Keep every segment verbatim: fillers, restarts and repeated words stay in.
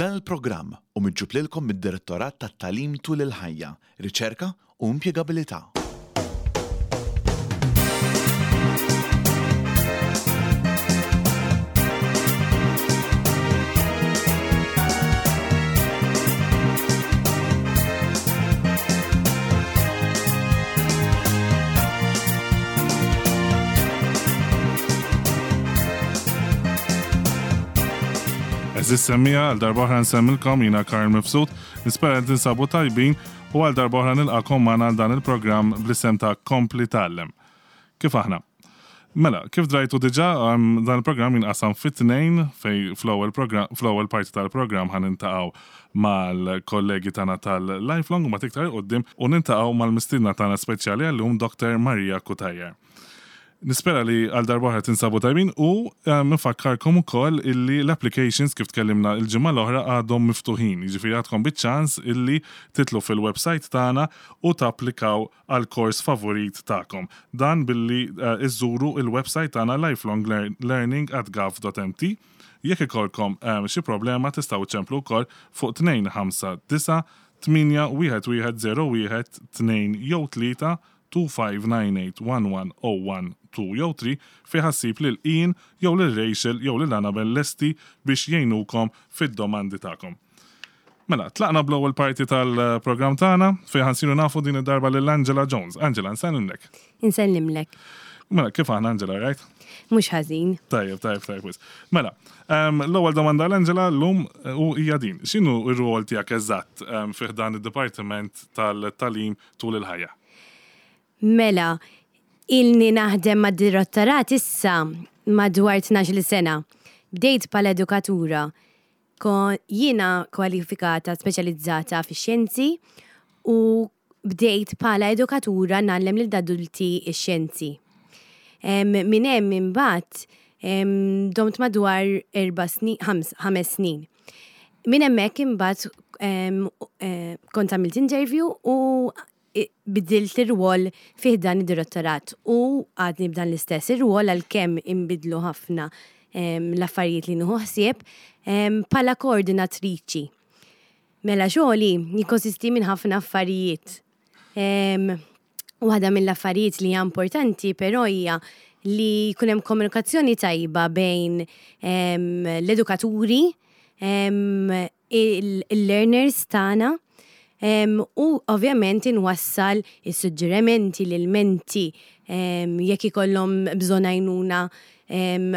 Dan il-programm hu miġjub lilkom mid-Direttorat tat-Tagħlim tul il-ħajja, Riċerka u Impjegabilità. Għeżież semmiegħa, għal darba oħra nsemmilkom jiena Karl Mifsud, nispera li tinsabu tajbin u għal darba oħra nilqakom magħna għal dan il-programm bl-isem ta' Kompli Tgħallem. Kif aħna? Mela, kif drajtu diġà, dan il-programm jinqasam fi tnejn fej fl-ewwel fl-ewwel parti tal-programm ħa nintaqgħu mal-kollegi tagħna tal-Lifelong u ma iktar quddiem u nintaqgħu mal-mistiedna tagħna speċjali għallum Doctor Maria Cutajar. Nispera li għal darba oħra tinsabu tajbin u nfakkarkom ukoll illi l-applications kif tkellimna il-ġimgħa l-oħra għadhom miftuħin. Jiġifieri għadkom biċ-ċans illi titlu fil-website tagħna u tapplikaw għal kors favorit tagħkom. Dan billi iżżuru il-website tagħna lifelonglearning at gov dot m t. Jekk ikolkom xi problema tistgħu ċemplu wkoll fuq tnejn ħamsa disa' tmienja wieħed wieħed zero wieħed tnejn jew tlieta two five nine eight one one oh one two jew three fi ħassib lil Ian jew lil Rachel jew lil Annabel lesti biex jgħinukom fid-domandi tagħkom. Mela, tlaqna bl-ewwel parti tal-programm tagħna fejn ħansiru nafu din id-darba lil Angela Jones. Angela, nsellimlek. Insellimlek. Mela, kif aħna Angela, right? Mhux ħażin. Tajjeb, tajjeb, tajjeb, wisq. Mela, l-ewwel domanda għal Angela llum u hija din. X'inhu r-rwol tiegħek eżatt fih dan id-dipartiment tal-tagħlim tul il-ħajja? Mela, ilni naħdem mad-direttorat issa madwar tnax-il sena. Bdejt bħala edukatura. Jiena kwalifikata speċjalizzata fix-xjenzi u bdejt bħala edukatura ngħallem lil adulti x-xjenzi. Minn hemm imbagħad domt madwar erba' snin, ħames snin. Minn hemmhekk imbagħad kont għamilt interview u bidilt ir-rwol fih dan id-direttorat u għadni b'dan l-istess ir-rwol għalkemm inbidlu ħafna l-affarijiet li nieħu ħsieb bħala koordinatriċi. Mela xogħli jikkonsisti minn ħafna affarijiet. Waħda mill-affarijiet li hija importanti però hija li jkun hemm komunikazzjoni tajba bejn l-edukaturi, il-learners tagħna, u ovvjament inwassal is-suġġerimenti, l-ilmenti, jekk ikollhom bżonn għajnuna,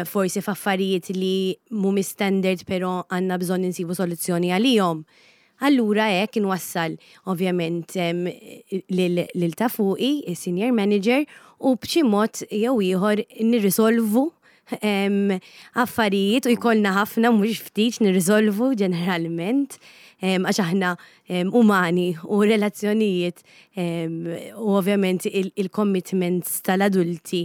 forsi f'affarijiet li mhumiex standard però għandna bżonn insibu soluzzjoni għalihom. Allura hekk inwassal ovvjament lil ta' fuqi, is-senior manager, u b'xi mod jew ieħor nirrisolvu affarijiet u jkollna ħafna mhux ftit nirrisolvu ġeneralment, għax aħna umani u relazzjonijiet u ovvjament il-commitments tal-adulti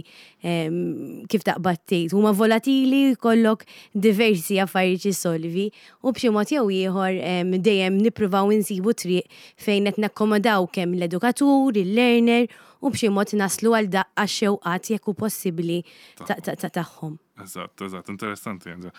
kif taqbad tgħid huma volatili, jkollok diversi affarijiet jissolvi u b'xi mod jew ieħor dejjem nippruvaw insibu triq fejn qed nakkomodaw kemm l-edukatur, il-learner u b'xi mod naslu għal daqqa xewqat jekk hu possibbli tagħhom. Eżatt, eżatt, interessanti, Angela.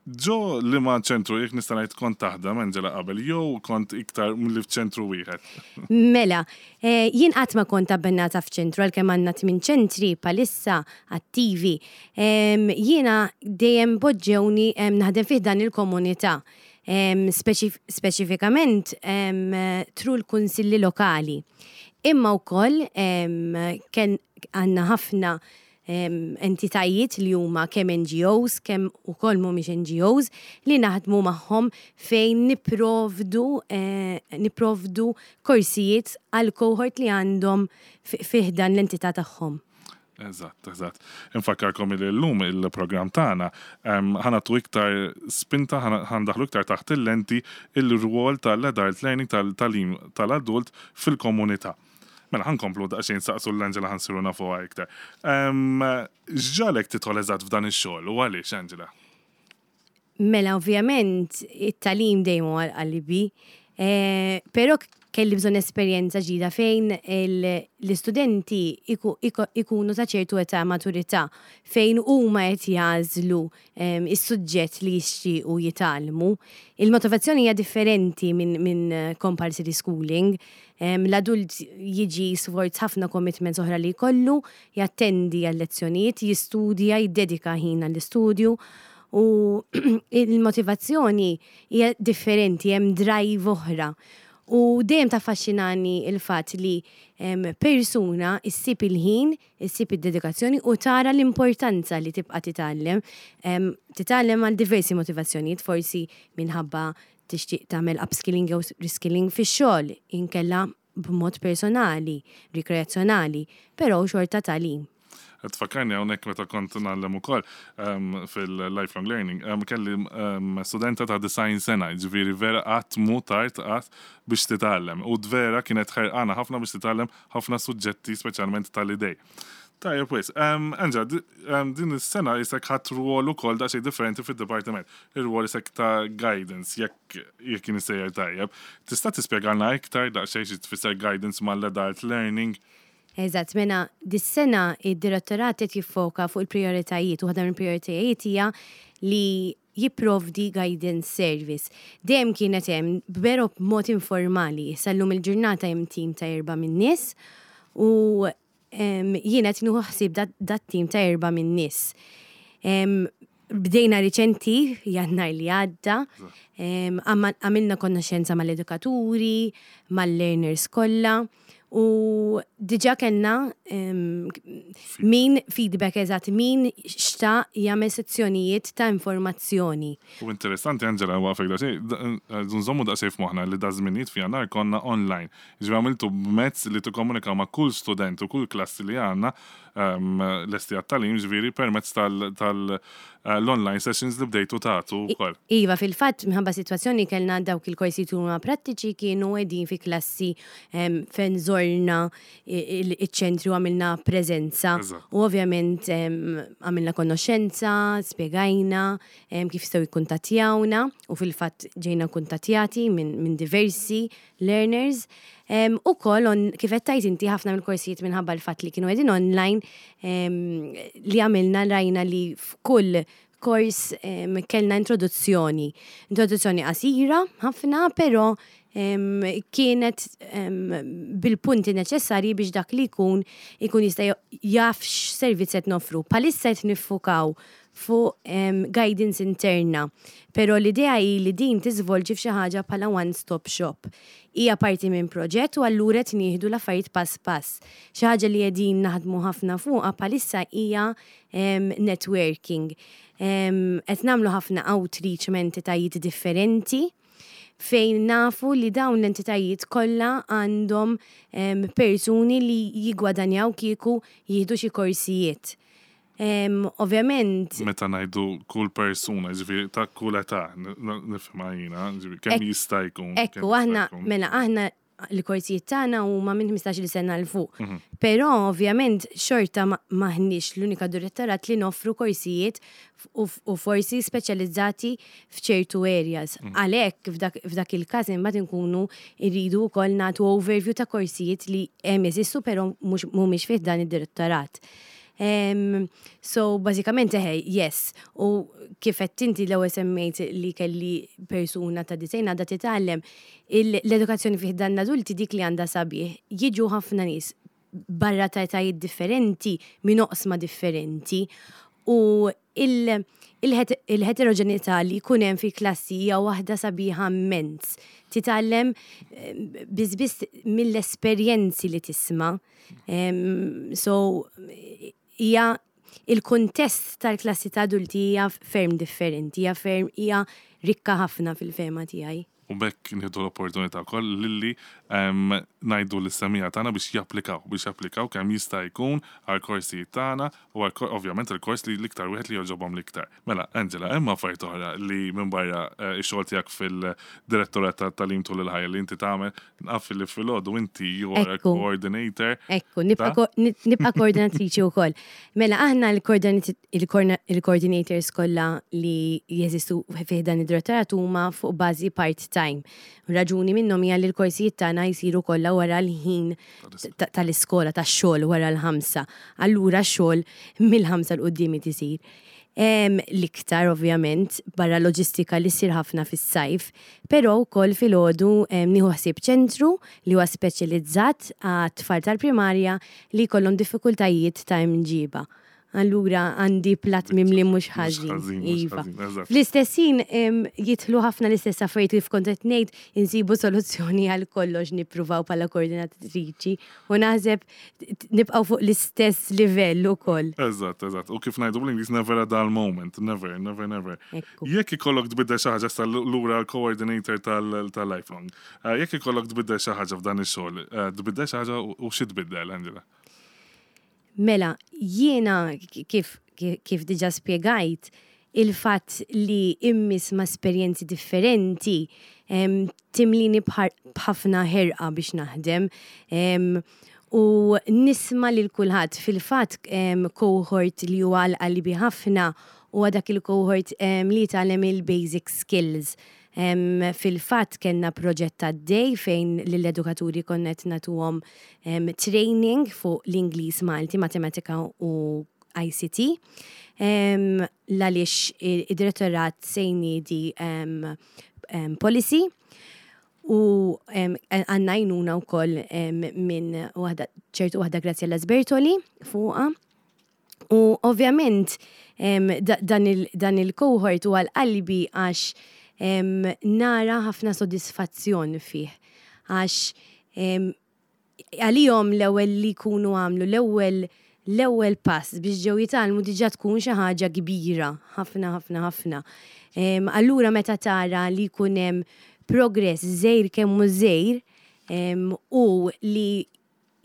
Ġo li ma ċentru, jekk nista' ngħid kont taħdem, Angela, qabel, jew kont iktar milli f'ċentru wieħed? Mela, jien qatt ma kont abbennata f'ċentru, għalkemm għandna tmien ċentri palissa attivi. Jiena dejjem poġġewni naħdem fih dan il-komunità, speċifikament tru l-kunsilli lokali. Imma wkoll kien għandna ħafna entitajiet li huma kemm N G Os, kemm ukoll mhumiex N G Os li naħdmu magħhom fejn nipprovdu, eh, nipprovdu korsijiet għal cohort li għandhom fih dan l-entità tagħhom. Eżatt, eżatt. Infakkarkom li llum il-programm tagħna, em, ħanatu iktar spinta, ħandaħlu iktar taħt il-lenti il-rwol tal-adult learning, tal-tagħlim tal-adult fil-komunità. Mela, ħankomplu daqsxejn saqsu l-Angela ħansiru nafuha iktar. Em, x'ġalek tidħol eżatt f'dan ix-xogħol u għaliex, Angela? Mela, ovvjament, it-tagħlim dejjem huwa għal qalbi, eh, però Kelli bżonn esperjenza ġdida fejn l-istudenti ikunu ta' ċertu età, maturità, fejn huma qed jagħżlu is-suġġett li jixtiequ jitgħallmu. Il-motivazzjoni hija differenti minn min compulsory schooling. L-adult jiġi sforz ħafna commitments oħra li jkollu, jattendi għal-lezzjonijiet, jistudja, jiddedika ħin għall-istudju u il-motivazzjoni hija differenti, hemm drive oħra. U dejjem taffaxxinani il-fatt li persuna issib il-ħin, issib id-dedikazzjoni u tara l-importanza li tibqa' titgħallem. Titgħallem għal diversi motivazzjonijiet, forsi minħabba tixtieq tagħmel upskilling jew reskilling fix-xogħol, inkella b'mod personali, rikreazzjonali, però xorta tagħlim. Tfakkarni hawnhekk meta kont ngħallem ukoll fil-lifelong learning, kelli studenta ta' disgħin sena, ġifieri vera qatt mhu tard qatt biex titgħallem. U vera kienet ħerqana ħafna biex titgħallem ħafna suġġetti, speċjalment tal-idej. Tajjeb wisq, Angela, din is-sena issa ħadt rwol ukoll daqsxejn differenti fid-dipartiment. Ir-rwol issa ta' guidance, jekk jekk jien sejjer tajjeb. Tista' tispjegalna iktar daqsxejn xi tfisser guidance mal-adult learning? Eżatt, mela dis-sena id-direttorat qed jiffoka fuq il-prioritajiet u waħda mill-prioritajiet hija li jipprovdi guidance service. Dejjem kienet hemm, però b'mod informali. Sal-lum il-ġurnata hemm tim ta' erba' min-nies u jiena qed nieħu ħsieb dat tim ta' erba' min-nies. Bdejna riċenti, Jannar li għadda, għamilna konoxenza mal-edukaturi, mal-learners kollha, u diġà kellna min feedback, eżatt, min xtaq jagħmel sezzjonijiet ta' informazzjoni. U interessanti, Angela, waqfek daqsxejn, nżommu daqsxejn f'moħħna li daż-żminijiet fi Jannar konna online. Ġifieri għamiltu mezz li tikkomunikaw ma' kull student u kull klassi li għandna lesti għat-tagħlim, ġifieri permezz tal-online sessions li bdejtu tagħtu wkoll. Iva, fil-fatt, minħabba situazzjoni kellna dawk il-korsi huma prattiċi kienu qegħdin fi klassi fejn żorna iċ-ċentru, għamilna preżenza u ovvjament għamilna konoxenza, spjegajna kif jistgħu jikkuntattjawna u fil-fatt ġejna kuntattjati minn diversi learners. U koll, kif qed inti, ħafna mill-korsijiet, minħabba l-fatt li kienu qegħdin online, li għamilna, rajna li f'kull kors kellna introduzzjoni. Introduzzjoni qasira ħafna, però kienet bil-punti neċessarji biex dak li jkun ikun jista' jaf x'servizz qed noffru. Bħalissa qed niffukaw fuq guidance interna, pero l-idea hi li din tiżvolġi f'xi ħaġa bħala one-stop shop. Hija parti minn proġett u allura qed nieħdu l-affarijiet pass pass. Xi ħaġa li qegħdin naħdmu ħafna fuqha bħalissa hija networking. Qed nagħmlu ħafna outreach ma' entitajiet differenti fejn nafu li dawn l-entitajiet kollha għandhom persuni li jigwadanjaw kieku jieħdu xi korsijiet. Ovvjament. Meta ngħidu kull persuna, ġifieri ta' kull età, nifhimha jiena, ġifieri kemm jista' jkun. Ekku, aħna, mela aħna l-korsijiet tagħna huma minn ħmistax-il sena 'l fuq. Mhm. Però ovvjament xorta maħniex l-unika direttorat li noffru korsijiet u forsi speċjalizzati f'ċertu areas. Mhm. Għalhekk f'dak il-każ imbagħad inkunu rridu wkoll nagħtu overview ta' korsijiet li hemm, jeżistu, però mhumiex fih dan id-direttorat. Um, so, bażikament eħe, yes. U kif qed inti l-ewwel semmejt li kelli persuna ta' disgħin għadha titgħallem, l-edukazzjoni fih dan l-adulti, dik li għandha sabiħ, jiġu ħafna nies barra ta' etajiet differenti, minn oqsma differenti, u il-heterogenità li jkun hemm fi klassi hija waħda sabiħa immens. Titgħallem biss mill-esperjenzi li tisma'. So hija il-kuntest tal-klassi ta' adulti hija ferm differenti, hija ferm hija rikka ħafna fil-fehma tiegħi. U b'hekk nieħdu l-opportunità wkoll lilli ngħidu lis-semmiegħa tagħna biex japplikaw, biex japplikaw kemm jista' jkun għal korsijiet tagħna u għal ovvjament il-kors li l-iktar wieħed li jogħġobhom l-iktar. Mela, Angela, hemm affarijiet oħra li minn barra eh, ix-xogħol tiegħek fil-direttorat tat-tagħlim tul il-ħajja li inti tagħmel? Naf li filgħodu inti you are a coordinator. Ekku, nibqa' koordinatriċi wkoll. Mela aħna il-coordinators kollha li jeżistu fih dan id-direttorat huma fuq bażi part part-time. Raġuni minnhom hija li l-korsijiet tagħna jsiru kollha wara l-ħin tal-iskola, tax-xogħol, wara l-ħamsa. Allura xogħol mill-ħamsa 'l quddiem tisir. L-iktar ovvjament barra loġistika li ssir ħafna fis-sajf, però wkoll filgħodu nieħu ħsieb ċentru li huwa speċjalizzat għat-tfal tal-primarja li jkollhom diffikultajiet ta' imġiba. Allura għandi platt mimli mhux ħażin. Iva. Fl-istess ħin jidħlu ħafna l-istess affarijiet kif kont qed ngħid, insibu soluzzjoni għal kollox, nippruvaw bħala koordinatriċi u naħseb nibqgħu fuq l-istess livell ukoll. Eżatt, eżatt. U kif ngħidu bl-Ingliż, never a dull moment, never, never, never. Jekk ikollok tbiddel xi ħaġa, lura l-coordinator tal-Lifelong. Eh, jekk ikollok tbiddel xi ħaġa f'dan ix-xogħol, eh, tbiddel xi ħaġa u xi tbiddel, Angela? Mela, jiena kif, kif diġà spiegajt, il-fatt li immiss ma' esperjenzi differenti timlini b'ħafna ħerqa biex naħdem. U nisma' lil kulħadd. Fil-fatt, cohort li huwa għal qalbi ħafna u dak il-cohort li tgħallem il-basic skills. Fil-fatt kellna proġett għaddej fejn l-edukaturi konna qed nagħtuhom training fuq l-Ingliż, Malti, Matematika u I C T. Għaliex id-direttorat se jniedi policy u għandna għajnuna wkoll minn waħda, ċertu waħda, Graziella Sbertoli, fuqha. U ovvjament dan il-cohort u għal-qalbi għax nara ħafna sodisfazzjon fih. Għax għalihom l-ewwel li jkunu għamlu l-ewwel l-ewwel pass biex ġew jitgħallmu diġà tkun xi ħaġa kbira, ħafna, ħafna, ħafna. Allura meta tara li jkun hemm progress żgħir kemm hu żgħir u li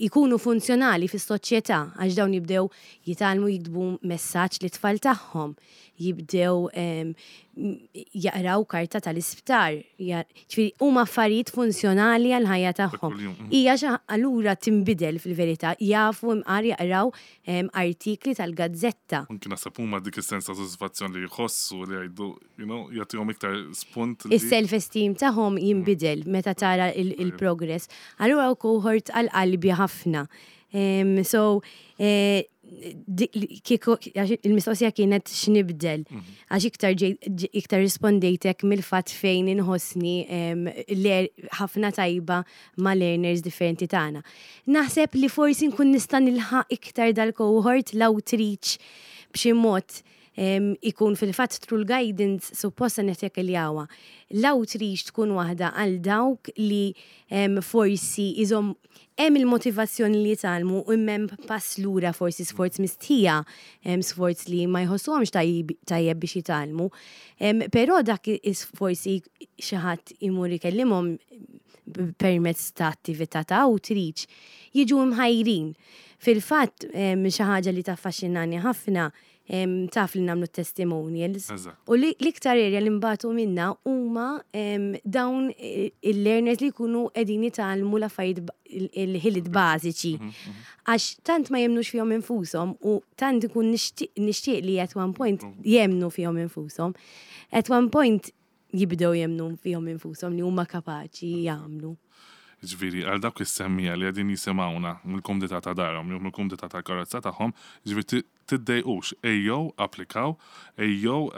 jkunu funzjonali fis-soċjetà, għax dawn jibdew jitgħallmu jiktbu messaġġ lit-tfal tagħhom, jibdew jaqraw karta tal-isptar, ġifieri huma affarijiet funzjonali għal-ħajja tagħhom. Hija xi allura tinbidel fil-verità, jafu imqar jaqraw artikli tal-gazzetta. Anki naħseb huma dik is-sens ta' sodisfazzjon li jħossu li jgħidu, you know, jagħtihom iktar spunt. Is-self-esteem tagħhom jinbidel meta tara il-progress. Allura cohort għal qalbi ħafna. So, eh, kieku il-mistoqsija kienet x'nibdel. Mhm. Għax iktar iktar rispondejtek mill-fatt fejn inħossni ħafna tajba ma' learners differenti tagħna. Naħseb li forsi nkun nista' nilħaq iktar dal-cohort, l-outreach b'xi mod ikun fil-fatt through guidance supposta nettekiljawa. L-outreach tkun waħda għal dawk li forsi iżom hemm il-motivazzjoni li jitgħallmu u hemm pass lura, forsi sforz mistħija, sforz li ma jħossuhomx tajjeb biex jitgħallmu. Però dak forsi xi ħadd imur ikellimhom permezz ta' attività ta' outreach, jiġu mħajrin. Fil-fatt, xi ħaġa li taffaxxinani ħafna, taf li nagħmlu testimonials. U l-iktar area li mbatu minna huma dawn il-learners li jkunu qegħdin jitgħallmu l-affarijiet, il-ħiliet bażiċi. Mhm, mhm. Għax tant ma jemnux fihom infushom u tant ikun nixtieq li at one point mm. jemnu fihom infushom. At one point jibdew jemnu fihom infushom li huma kapaċi jagħmlu. Ġifieri, għal dawk is-semmiegħa li qegħdin jisimgħuna mill-kumdità ta' darhom jew mill-kumdità tal-karozza tagħhom, ġifieri tiddejqux, ejjew applikaw, ejjew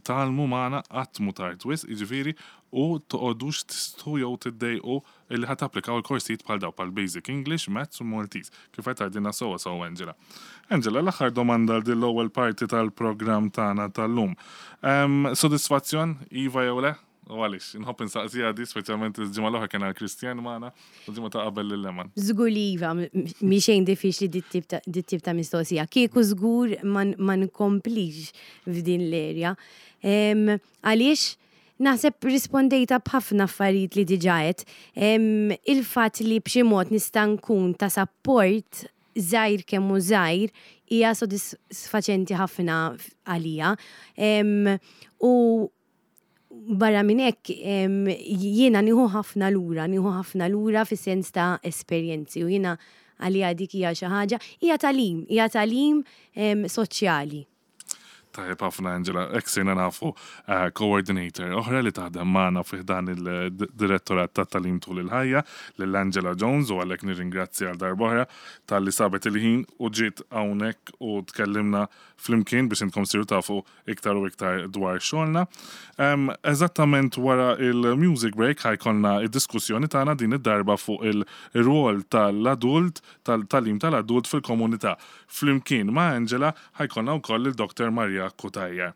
tgħallmu magħna, qatt mhu tard wisq, jiġifieri, u toqgħodux tistħu jew tiddejqu illi ħa tapplikaw il-korsijiet bħal daw, bħal Basic English, Maths u Maltese. Kif qed tgħidilna sewwa sew Angela. Angela, l-aħħar domanda għal din l-ewwel parti tal-programm tagħna tal-lum. Sodisfazzjon, iva jew le? U għalix, nħobb insaqsiha di, speċjalment il-ġimgħa l-oħra kien għal Kristjan magħna, u ġimgħa ta' qabel lil Leman. Żgur li iva, mi xejn diffiċli dit-tip ta' mistoqsija. Kieku żgur ma nkomplix f'din l-erja. Għaliex, naħseb rispondejta b'ħafna affarijiet li diġà għedt. Il-fatt li b'xi mod nista' nkun ta' support żgħir kemm hu żgħir hija sodisfaċenti ħafna għalija. U barra minn hekk jiena nieħu ħafna lura, nieħu ħafna lura fis-sens ta' esperjenzi u jiena għalija dik hija xi ħaġa, hija tagħlim, hija tagħlim soċjali. Tajjeb ħafna, Angela, hekk sirna nafu uh, coordinator oħra li taħdem magħna fi dan il-direttorat ta' tagħlim tul il-ħajja, lil Angela Jones, u għalhekk nirringrazzja għal darb'oħra talli sabet il-ħin u ġiet hawnhekk u tkellimna flimkien biex intkom siru tafu iktar u iktar dwar xogħolna. Um, eżattament wara il-music break ħa jkollna id-diskussjoni tagħna, din id-darba fuq il-rwol tal-adult, tal-tagħlim tal-adult fil-komunità. Flimkien ma' Angela ħa jkollna wkoll il-Doktor Maria Cutajar.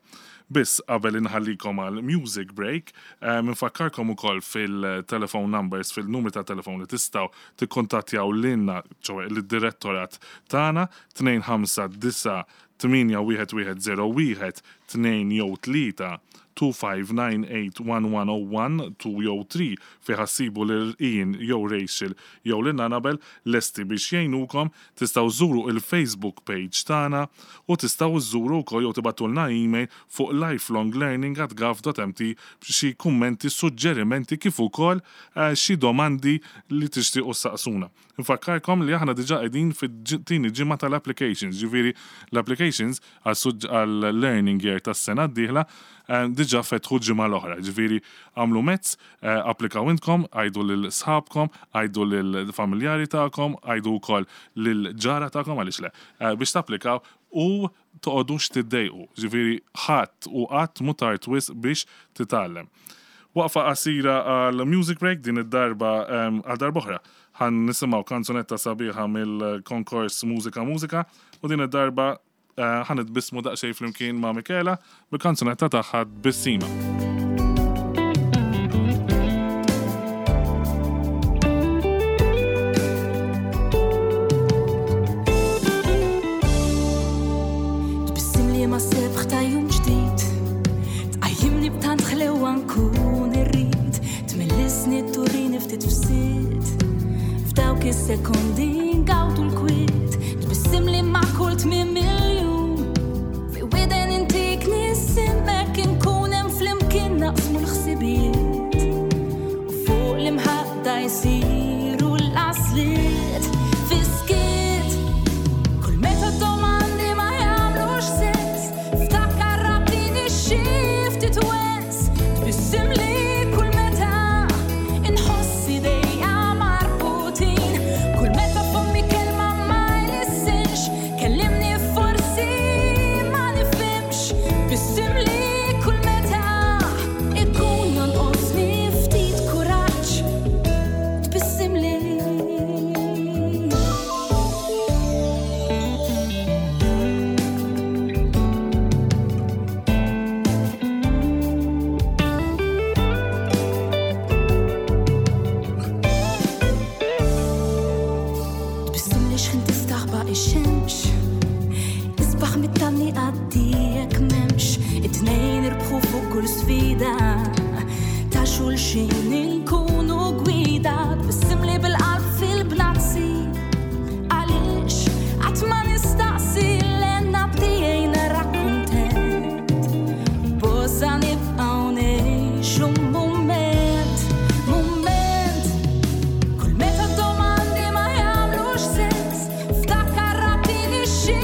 Biss qabel inħallikom għal music break, nfakkarkom ukoll fil-telephone numbers, fil-numri ta' telefon li tistgħu tikkontattjaw lilna, ċoè l-direttorat tagħna, tnejn ħamsa disa' tmienja wieħed wieħed żero wieħed tnejn jew tlieta, tnejn ħamsa disa tmienja wieħed wieħed żero wieħed tnejn jew tlieta, fejn ħa ssibu lil Ian jew Rachel jew lil Annabel lesti biex jgħinukom. Tistgħu żuru il-Facebook page tagħna u tistgħu żuru wkoll jew tibagħtulna email fuq lifelonglearning at gov dot M T xi kummenti, suġġerimenti kif ukoll eh, xi domandi li tixtiequ saqsuna. Nfakkarkom li aħna diġà qegħdin fit-tieni ġimgħa tal-applications, ġifieri l-applications għal-learning year tas-sena d-dieħla eh, diġà fetħu ġimgħa l-oħra. Ġifieri għamlu mezz, eh, applikaw intkom, għidu lil sħabkom, għidu lil familjari tagħkom, għidu wkoll lil ġara tagħkom, għaliex le, eh, biex tapplikaw u toqgħodux tiddejqu. Ġifieri ħadd u qatt mhu tard wisq biex titgħallem. Waqfa qasira għal music break, din id-darba għal darba oħra ħa nisimgħu kanzunetta sabiħa mill-konkors Mużika Mużika u din id-darba eh, ħa nitbissmu daqsxejn flimkien ma' Michela bil-kanzunetta tagħha Tbissima. Tbissim li ma sebħ ta' jum ġdid, tqajjimni b'tant ħlewa nkun irrid. Tmellisni, turini ftit fsit. F'dawk is-sekondi ngawdu l-kwiet. Tbissim li ma' kull tmiem miljun. Fi widen intik nisimmek, nkun hemm flimkien naqsmu l-ħsibijiet. U fuq l-imħadda jsiru l-għasliet. Fiskiet. Kull meta domandi ma jagħmlux sens, ftakar rabtini xi ftit wens. Tbissim li kull meta inħoss idejja marbutin. Kull meta fommi kelma ma jlissinx, kellimni forsi ma nifhimx. Tbissim li kull meta ikun jonqosni ftit kuraġġ. Tbissim li. Tbissim li xħin tistaħba ix-xemx, isbaħ mit-tamni għaddijek memx. It-tnejn irbħu fuq kull sfida, ta' xulxin inkunu gwida. Tbissim li bil-qalb fil-bnazzi, għaliex qatt ma nistaqsi l-enna bdijaj nara kuntent. Bosa nibqgħu ngħixu mument, mument. Kull meta domandi ma jagħmlux sens, ftakar rabtini xi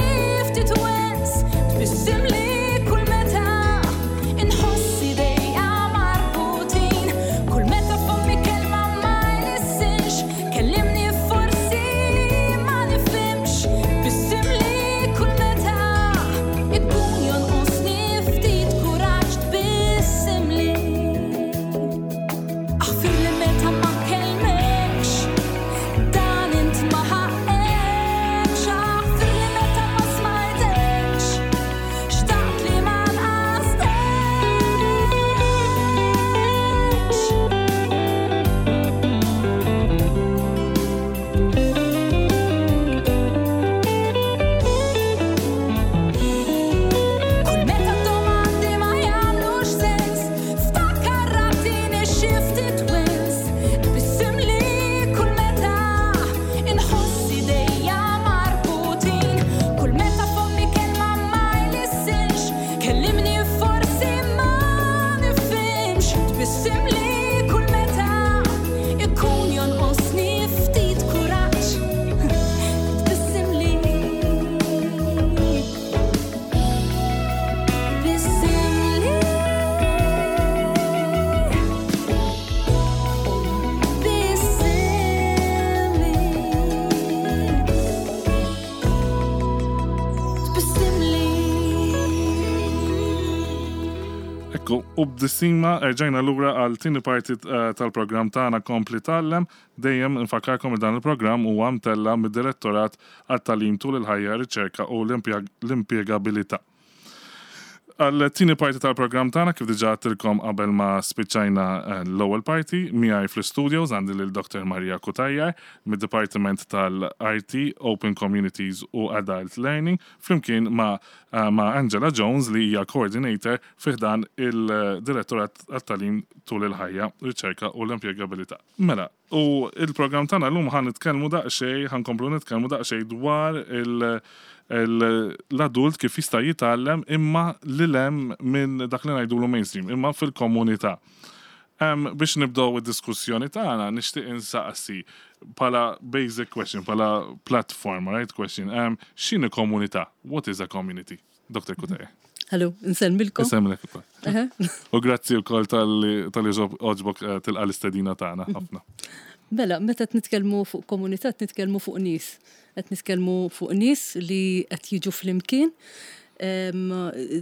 ftit wens. Tbissim li kull meta inħoss idejja marbutin. Kull meta fommi kelma ma jlissinx, kellimni forsi ma nifhimx. Tbissim li kull meta ikun jonqosni ftit kuraġġ. Tbissim li. Aħfir li meta ma kellmekx, dan int ma ħaqekx. Aħfir li meta ma smajtekx, xtaqt li ma nqastekx. Kull meta domandi ma jagħmlux sens, ftakar rabtini xi ftit wens. Tbissim li kull meta inħoss idejja marbutin. Kull meta fommi kelma ma jlissinx, kellimni forsi ma nifhimx. Tbissim li kull meta ikun jonqosni ftit kuraġġ. Tbissim li. U b'disima erġajna lura għal tieni parti eh, tal-programm tagħna Kompli Tgħallem, dejjem nfakkarkom li dan il-programm huwa mtella mid-Direttorat għat-Tagħlim tul il-ħajja, riċerka u l-impjegabilità. Għal tieni parti tal-programm tagħna kif diġà għedtilkom qabel ma spiċċajna eh, l-ewwel parti, miegħi fl-studios għandi lil Dr. Maria Cutajar mid-Dipartiment tal-IT, Open Communities u Adult Learning, flimkien ma' eh, ma' Angela Jones li hija coordinator fi ħdan il-Direttorat għat-Tagħlim tul il-ħajja, riċerka u l-impjegabilità. Mela, u il-programm tagħna llum ħa nitkellmu daqsxejn, ħa nkomplu nitkellmu daqsxejn dwar il- l-adult kif jista' jitgħallem imma lil hemm minn dak li ngħidulu mainstream, imma fil-komunità. Um, biex nibdew id-diskussjoni tagħna nixtieq insaqsi bħala basic question, bħala platform, right question. Um, x'inhi komunità? What is a community? Dr. Cutajar. Hello, insellmilkom. Insellmilek ukoll. U grazzi wkoll talli għoġbok eh, tilqa' l-istedina tagħna ħafna. Mela, meta qed nitkellmu fuq komunità, qed nitkellmu fuq nies. Qed nitkellmu fuq nies li qed jiġu flimkien. Em,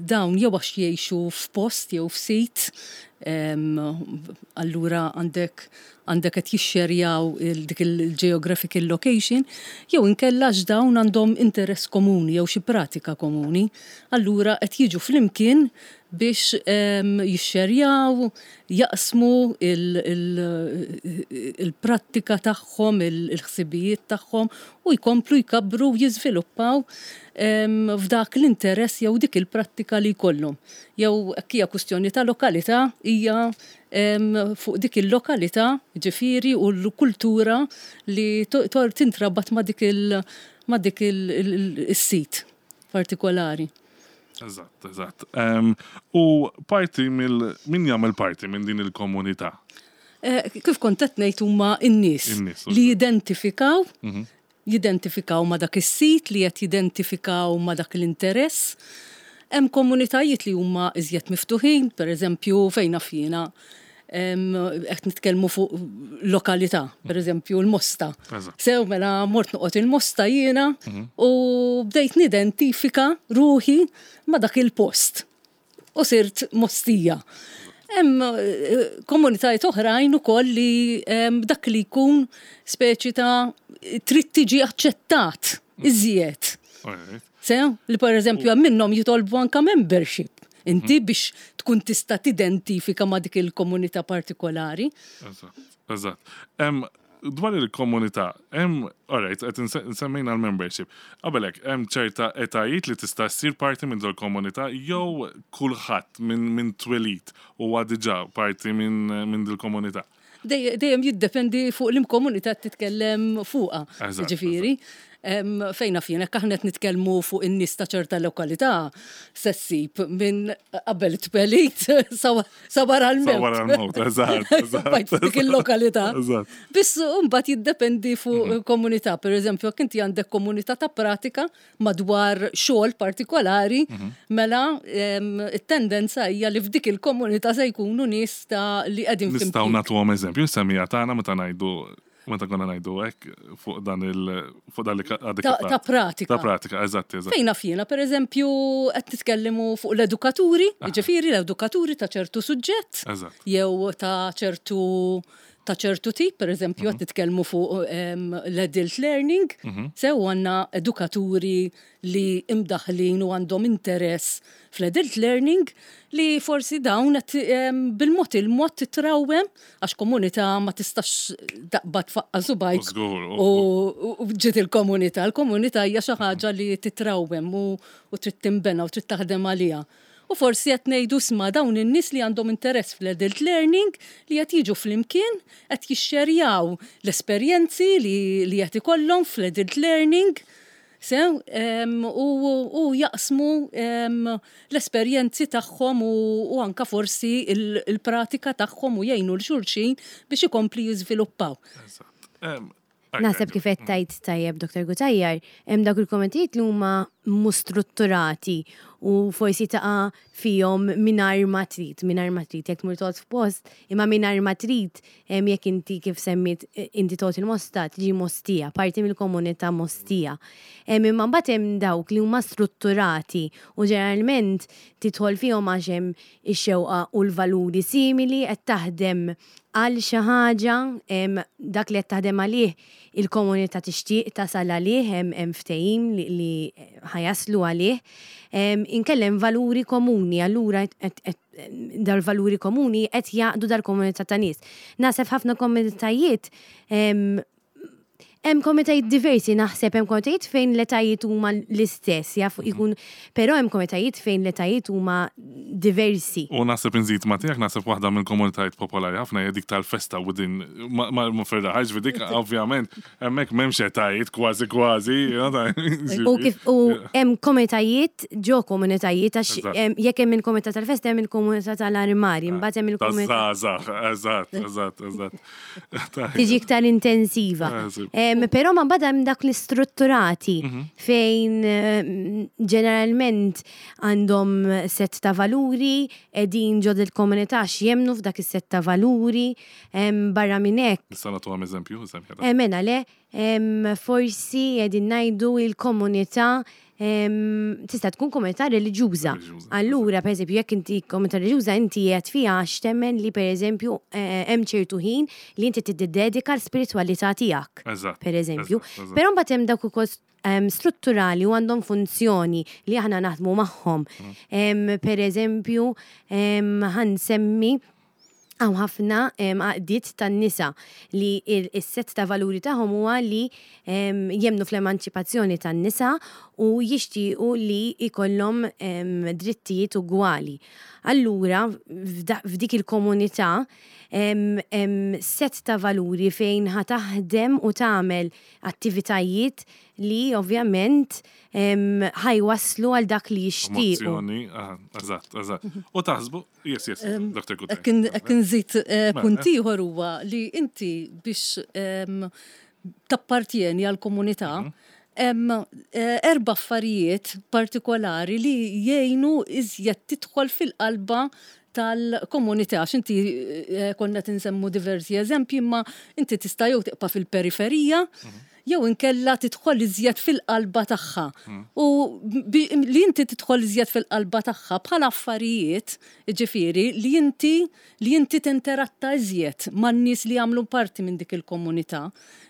dawn jew għax jgħixu f'post jew f'sit, em, allura għandek għandek qed jixxerjaw il- dik il-geographical location, jew inkella għax dawn għandhom interess komuni jew xi pratika komuni, allura qed jiġu flimkien biex em, jixxerjaw, jaqsmu il-prattika tagħhom, il-ħsibijiet tagħhom u jkomplu jkabru u jiżviluppaw em, f'dak l-interess jew dik il-prattika li jkollhom. Jew hekk hija kwistjoni ta' lokalità hija em, fuq dik il-lokalità, ġifieri u l-kultura li to- to- tintrabat ma' dik il- ma' dik il-sit partikolari. Eżatt, eżatt. Um, u parti mill min jagħmel parti minn din il-komunità? Eh, Kif kont qed ngħid huma n-nies In-nies, li jidentifikaw jidentifikaw ma' dak is-sit, li qed jidentifikaw ma' dak l-interess. Hemm komunitajiet li huma iżjed miftuħin, per eżempju fejn naf jiena em, qed nitkellmu fuq lokalità, per eżempju l-Mosta. Eżatt. Sew mela mort noqgħod il-Mosta jiena u bdejt nidentifika ruħi ma' dak il-post u sirt Mostija. Hemm eh, komunitajiet oħrajn ukoll li em, dak li jkun speċi ta' trid tiġi aċċettat iżjed. Alright. Sew, li per eżempju hemm minnhom jitolbu anka membership. Inti biex tkun tista' tidentifika ma' dik il-komunità partikolari. Eżatt, eżatt. Em, dwar il-komunità, hemm, alright, qed inse- nsemmejna l-membership. Qabelek, hemm ċerta etajiet li tista' ssir parti minn dol komunità jew kulħadd minn min twelid huwa diġà parti minn min dil-komunità. Dej- Dejjem jiddependi fuq l-komunità titkellem fuqha. Eżatt, Ġifieri, em, fejn naf jien, jekk aħna qed nitkellmu fuq in-nies ta' ċerta lokalità, se ssib minn qabel twelid sa sa wara l-mewt. Sa wara l-mewt, eżatt, eżatt. Bajt dik il-lokalità. Eżatt. Biss mbagħad jiddependi fuq komunità. Per eżempju, jekk inti għandek komunità ta' pratika madwar xogħol partikolari, mela em, it-tendenza hija li f'dik il-komunità se jkunu nies ta' li qegħdin Nistgħu flimkien. nagħtuhom eżempju, semmija tagħna meta ngħidu meta konna ngħidu hekk fuq dan il fuq dan li għadek Ta' ta' pratika. Ta' pratika, eżatt, eżatt. Fejn naf jiena, per eżempju, qed nitkellmu fuq l-edukaturi, jiġifieri l-edukaturi ta' ċertu suġġett, Eżatt. jew ta' ċertu ta' ċertu tip, per eżempju, qed nitkellmu fuq em, l-adult learning, sew għandna edukaturi li imdaħlin u għandhom interess fl-adult learning li forsi dawn qed em, bil-mod il-mod titrawem għax komunità ma tistax taqbad tfaqqa' subgħajk U żgur, u- u u ġiet il-komunità. Il-komunità hija xi ħaġa li titrawem u, u trid tinbena u trid taħdem għaliha. U forsi qed ngħidu sma dawn in-nies li għandhom interess fl-adult learning li qed jiġu flimkien, qed jixxerjaw l-esperjenzi li, li qed ikollhom fl-adult learning. Sew, em, u, u jaqsmu em, l-esperjenzi tagħhom u, u anka forsi il- il-pratika tagħhom u jgħinu 'l xulxin biex ikompli jiżviluppaw. Eżatt. Em, Naħseb kif qed tajt tajjeb Dr. Cutajar, hemm dawk il-komunitajiet li huma mhux strutturati u u forsi taqa' fihom mingħajr ma trid, mingħajr ma trid, jekk tmur toqgħod f'post, imma mingħajr ma trid, em, jekk inti kif semmit eh, inti toqgħod il-Mosta, tiġi Mostija, parti mill-komunità Mostija. Em, Imma mbagħad hemm dawk li huma strutturati u ġeneralment tidħol fihom għax hemm ix-xewqa u l-valuri simili qed taħdem għal xi ħaġa, em, dak li qed taħdem għalih il-komunità tixtieq tasal għalih, hemm hemm ftehim li, li ħa jaslu għalih. Em, Inkella valuri komuni, allura qed- qed- dal-valuri komuni qed jaqdu dal-komunità ta' nies. Naħseb ħafna komunitajiet em, Hemm komunitajiet diversi, naħseb hemm komunitajiet fejn l-etajiet huma l-istess, jaf ikun, però hemm komunitajiet fejn l-etajiet huma diversi. U naħseb inżid ma tiegħek, naħseb waħda minn komunitajiet popolari ħafna hija dik tal-festa within ma ma ferraħ, ġifieri dik ovvjament hemmhekk m'hemmx etajiet kważi kważi, you know, ta' U kif u hemm komunitajiet ġo komunitajiet għax Eżatt. hemm- jekk hemm il-komunità tal-festa hemm il-komunità tal-armari, imbagħad hemm il-komunità Taż-żgħażagħ, eżatt, eżatt, eżatt. tiġi iktar intensiva. Eh, sì. Em, Però ma mbagħad hemm dak l-istrutturati Mhm. fejn em, ġeneralment għandhom set ta' valuri, qegħdin ġo il-komunità x'jemmnu f'dak is-set ta' valuri, em, barra minn hekk. Nista' nagħtuhom eżempju, eżempju. Eh, Mela le, em, forsi qegħdin ngħidu il-komunità em, tista' tkun komunità reliġjuża. Reliġjuża, Allura, per eżempju, jekk inti komunità reliġjuża, inti qed fiha għax temmen li per eżempju eh, hemm ċertu ħin li inti tiddedika l-spiritwalità tiegħek. Eżatt. Per eżempju. eżatt, eżatt. Però mbagħad hemm dawk ukoll em, strutturali u għandhom funzjoni li aħna naħdmu magħhom. Mm. Em, Per eżempju, em, ħa nsemmi hawn ħafna em, għaqdiet tan-nisa li il- is-set ta' valuri tagħhom huwa li em, jemmnu fl-emanċipazzjoni tan-nisa u jixtiequ li jkollhom em, drittijiet ugwali. Allura, f'da- f'dik il-komunità em, em, set ta' valuri fejn ħa taħdem u tagħmel attivitajiet li ovvjament em, ħa jwasslu għal dak li jixtiequ. Promozzjoni, aha, eżatt, eżatt. U taħsbu, yes, yes, Doctor Cutajar. Jekk inżid eh, Mela. punt ieħor huwa li inti biex em, tappartieni għal komunità hemm eh, erba' affarijiet partikolari li jgħinu iżjed tidħol fil-qalba tal-komunità, għax inti eh, konna tinsemmu diversi eżempji, imma inti tista' jew tibqa' fil-periferija, jew inkella tidħol iżjed fil-qalba tagħha. U bi- li inti tidħol iżjed fil-qalba tagħha bħala affarijiet, ġifieri, li inti li inti tinteratta iżjed man-nies li jagħmlu parti minn dik il-komunità,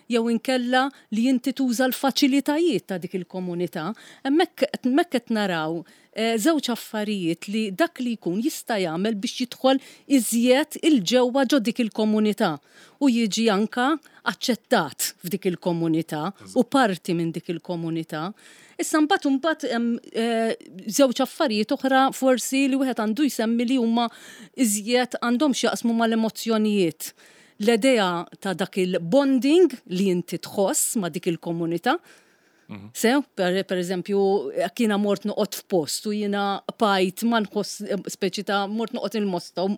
jew inkella li inti tuża l-faċilitajiet ta' dik il-komunità. Hemmhekk hemmhekk qed naraw eh, żewġ affarijiet li dak li jkun jista' jagħmel biex jidħol iżjed il-ġewwa ġo dik il-komunità u jiġi anka aċċettat f'dik il-komunità u parti minn dik il-komunità. Issa mbagħad imbagħad hemm eh, żewġ affarijiet oħra forsi li wieħed għandu jsemmi li huma iżjed għandhom x'jaqsmu mal-emozzjonijiet. L-idea ta' dak il-bonding li inti tħoss ma' dik il-komunità. Sew, per, per eżempju, jekk jiena mort noqgħod f'post u jiena bqajt ma nħoss, speċi ta' mort noqgħod il-Mosta u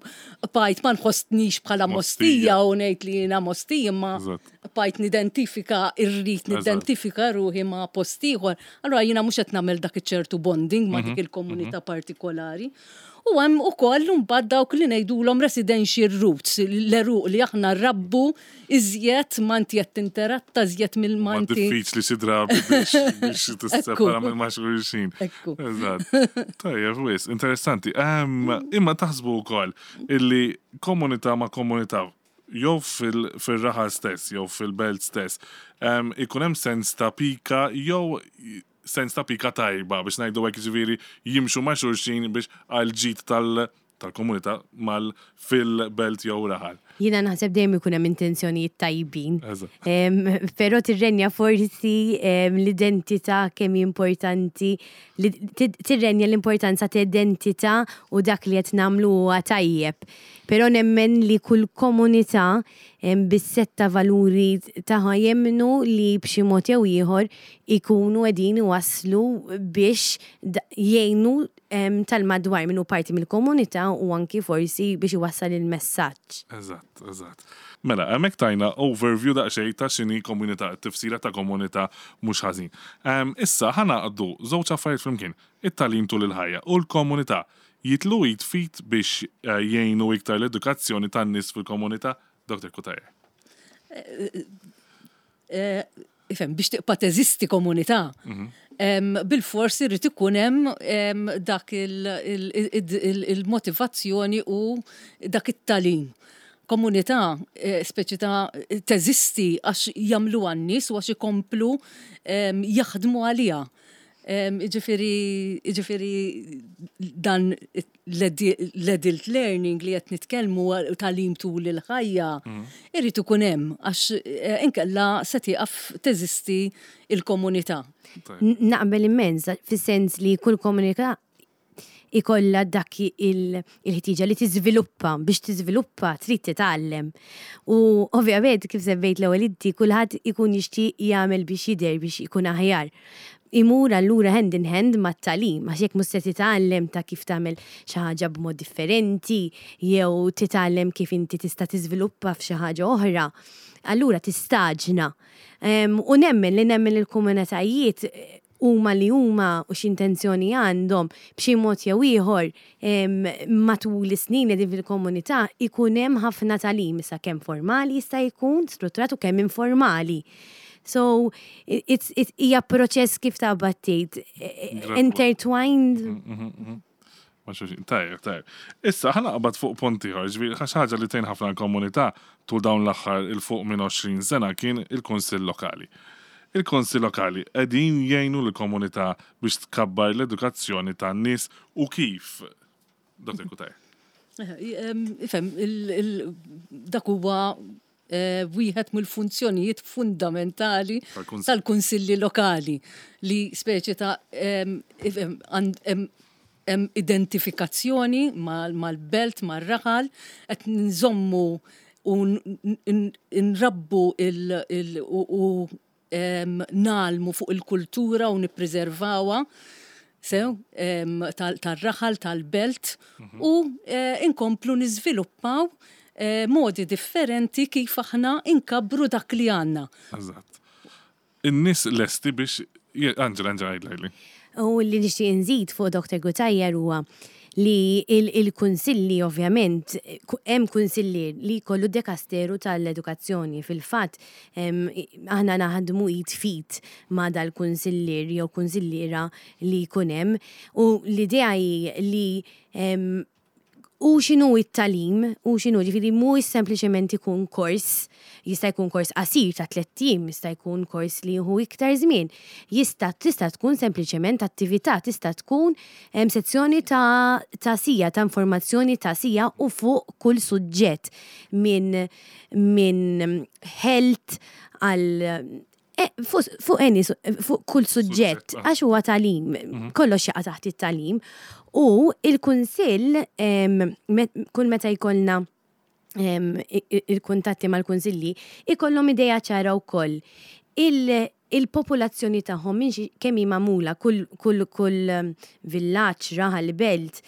bqajt ma nħossnix bħala Mostija. Mostija u ngħid li jiena Mostija, imma Eżatt. bqajt nidentifika, irrid Eżatt. nidentifika ruħi ma' post ieħor. Allura jiena mhux qed nagħmel dak iċ-ċertu bonding ma' dik il-komunità partikolari. U hemm ukoll mbagħad dawk li ngħidulhom residential roots, l-għeruq li aħna rabbu iżjed ma inti qed tinteratta iżjed Ma mill-ma inti. diffiċli xi drabi biex biex tissepara minn ma' xulxin. Ekku. Eżatt. Tajjeb, wis, interessanti. Ehm, Imma taħsbu wkoll illi komunità ma' komunità jew fil- fil-raħal stess, jew fil-belt stess, ehm, ikun hemm sens ta' pika jew sens ta' pika tajba biex ngħidu hekk, ġifieri jimxu ma' xulxin biex għal ġid tal- tal-komunità mal fil-belt jew raħal. Jiena naħseb dejjem ikun hemm intenzjonijiet tajbin. Eżatt. Em, Però tirrenja forsi em, l-identità kemm hi importanti, li ti- tirrenja l-importanza ta' identità u dak li qed nagħmlu huwa tajjeb. Però nemmen li kull komunità em, bis-set ta' valuri tagħha jemmnu li b'xi mod jew ieħor ikunu qegħdin iwasslu biex da- jgħinu em, tal-madwar minnu parti mill-komunità u anki forsi biex iwassal il-messaġġ. Eżatt. Eżatt, eżatt. Mela, hemmhekk tajna overview daqsxejn ta' x'inhi komunità, tifsira ta' komunità mhux ħażin. Em, Issa ħa ngħaqqdu żewġ affarijiet flimkien, it-tagħlim tul il-ħajja u l-komunità jitilgħu id f'id biex eh, jgħinu iktar l-edukazzjoni tan-nies fil-komunità. Doktor Cutajar. Eh, Ifhem, biex tibqa' teżisti komunità, em, bil-forsi rrid ikun hemm em, dak il- il- il- il- il-motivazzjoni u dak it-tagħlim. Komunità eh, speċi ta' teżisti għax jagħmlu għan-nies u għax ikomplu em, jaħdmu għaliha. Em, Iġifieri, iġifieri dan l-adult learning li qed nitkellmu tagħlim tul il-ħajja, irrid ikun hemm għax eh, inkella se tieqaf teżisti il-komunità. N- Naqbel immens, fis-sens li kull komunità ikolla dak il- il-ħtieġa li tiżviluppa, biex tiżviluppa trid titgħallem. U ovvjament kif semmejt l-ewwel inti kulħadd ikun jixtieq jagħmel biex jidher biex ikun aħjar. Imur allura hand in hand mat-tagħlim, għax jekk mhux se titgħallem ta' kif tagħmel xi ħaġa b'mod differenti, jew titgħallem kif inti tista' tiżviluppa f'xi ħaġa oħra, allura tistaġna. Em, U nemmen li nemmen il-komunitajiet eh, huma li huma u x'intenzjoni għandhom b'xi mod jew ieħor em, matul is-snin li din fil-komunità ikun hemm ħafna tagħlim issa kemm formali jista' jkun strutturat u kemm informali. So it's it hija proċess kif ta' battejt intertwined. Ma xulxin, tajjeb, tajjeb. Issa, ħa naqbad fuq punt ieħor, ġifieri, xi ħaġa li tgħin ħafna l-komunità tul dawn l-aħħar 'il fuq minn għoxrin sena kien il-Kunsill Lokali. Il-Kunsill Lokali qegħdin jgħinu l-komunità biex tkabbar l-edukazzjoni tan-nies u kif? Doktor Cutajar. Ifhem, il- il- dak huwa eh, wieħed mill-funzjonijiet fundamentali Tal-kunsill. tal-kunsilli lokali li speċi ta' em, ifhem, għand- em- hemm identifikazzjoni mal- mal-belt, mal-raħal, qed nżommu u n- n- nrabbu il- il- u u, em, ngħallmu fuq il-kultura u nippreservawha sew em, tal- tal-raħal, tal-belt u eh, inkomplu niżviluppaw eh, modi differenti kif aħna inkabru dak li għandna. Eżatt. In-nies lesti biex Je- Angela, Angela, għidli. U li nixtieq nżid fuq Doktor Cutajar huwa li il- il-kunsilli ovvjament, ku- hemm kunsillier li jkollu dekasteru tal-edukazzjoni. Fil-fatt, em, aħna naħdmu id f'id ma' dal-kunsillier jew kunsilliera li jkun hemm u l-idea hi li em, u x'inhu it-tagħlim, u x'inhu ġifieri mhux sempliċement ikun kors, jista' jkun kors qasir ta' tlett ijiem, jista' jkun kors li jieħu iktar żmien. Jista' tista' tkun sempliċement attività, tista' tkun em, sezzjoni ta' ta' sija, ta' informazzjoni ta' sija u fuq kull suġġett minn min health għal Eh, fuq fuq any su- fuq kull suġġett, Suġġett, ah. għax huwa tagħlim, kollox jaqa' taħt it-tagħlim. U il-kunsill em, met- kull meta jkollna em, i- i- il-kuntatti mal-kunsilli, ikollhom idea ċara wkoll. Il- Il-popolazzjoni tagħhom minn xi- kemm hi magħmula kull kull kull em, villaġġ, raħal, belt,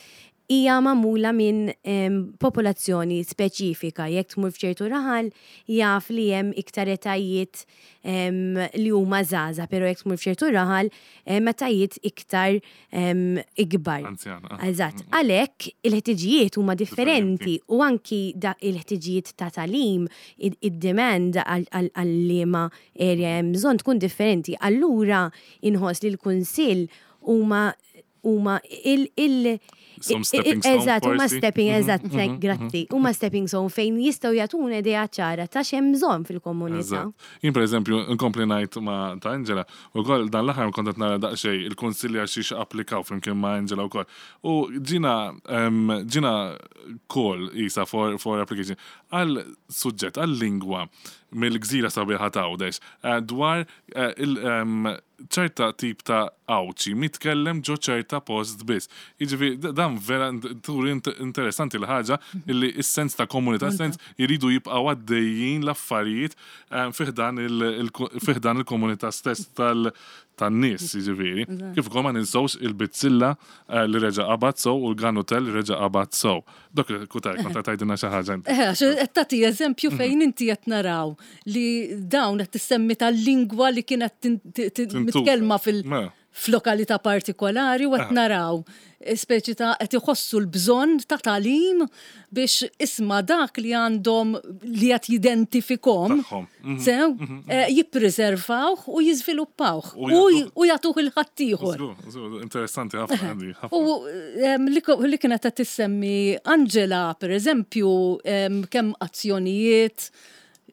hija magħmula minn em, popolazzjoni speċifika. Jekk tmur f'ċertu raħal, jaf li hemm iktar etajiet em, li huma żgħażagħ, però jekk tmur f'ċertu raħal, em, etajiet iktar em, ikbar. Anzjana. ah. Eżatt, għalhekk il-ħtiġijiet huma differenti u anki da il-ħtiġijiet ta' tagħlim, id-demand għal-liema area hemm bżonn tkun differenti. Allura inħoss li l-kunsill huma huma il il Some stepping stone Eżatt, huma forsi. stepping, eżatt, grazzi. Huma stepping stone fejn jistgħu jagħtuna idea ċara ta' x'hemm bżonn fil-komunità. Eżatt. Jien per eżempju, nkompli ngħid ma' ta' Angela, u koll dan l-aħħar kont qed nara daqsxejn il-kunsilli għal xiex applikaw flimkien ma' Angela wkoll. U ġina em, ġina call isa for, for application għal suġġett, għal lingwa mill-gżira sabiħa ta' Għawdex, eh, dwar eh, il- em, ċerta tip ta' Għawdxi mitkellem ġo ċerta post biss. Jiġifieri d- dan vera int- turi int- interessanti l-ħaġa illi is-sens ta' komunità, sens jiridu jibqgħu għaddejjin l-affarijiet eh, fi ħdan il- il- fi ħdan il-komunità stess tal- Tan-nies, jiġifieri. Kif ukoll ma ninsewx il-bizzilla eh, li reġa' qabad sew u l-ganutel li reġa' qabad sew. Dok Cutajar, kont tgħidilna xi ħaġa inti. Eh, għax qed tagħti eżempju fejn inti qed naraw li dawn qed tissemmi tal-lingwa li kienet tin- ti- ti- Tintuża. mitkellma fil- Mela. f'lokalità partikolari u qed naraw eh, speċi ta' qed iħossu l-bżonn ta' tagħlim biex isma' dak li għandhom li qed jidentifikhom Tagħhom. Mhm. sew eh, jippreservawh u jiżviluppawh U u jagħtuh- u jagħtuh lil ħaddieħor. Żgur, żgur, interessanti ħafna għandi, ħafna. U em, li ko- li kienet qed tissemmi Angela, per eżempju, em, kemm azzjonijiet,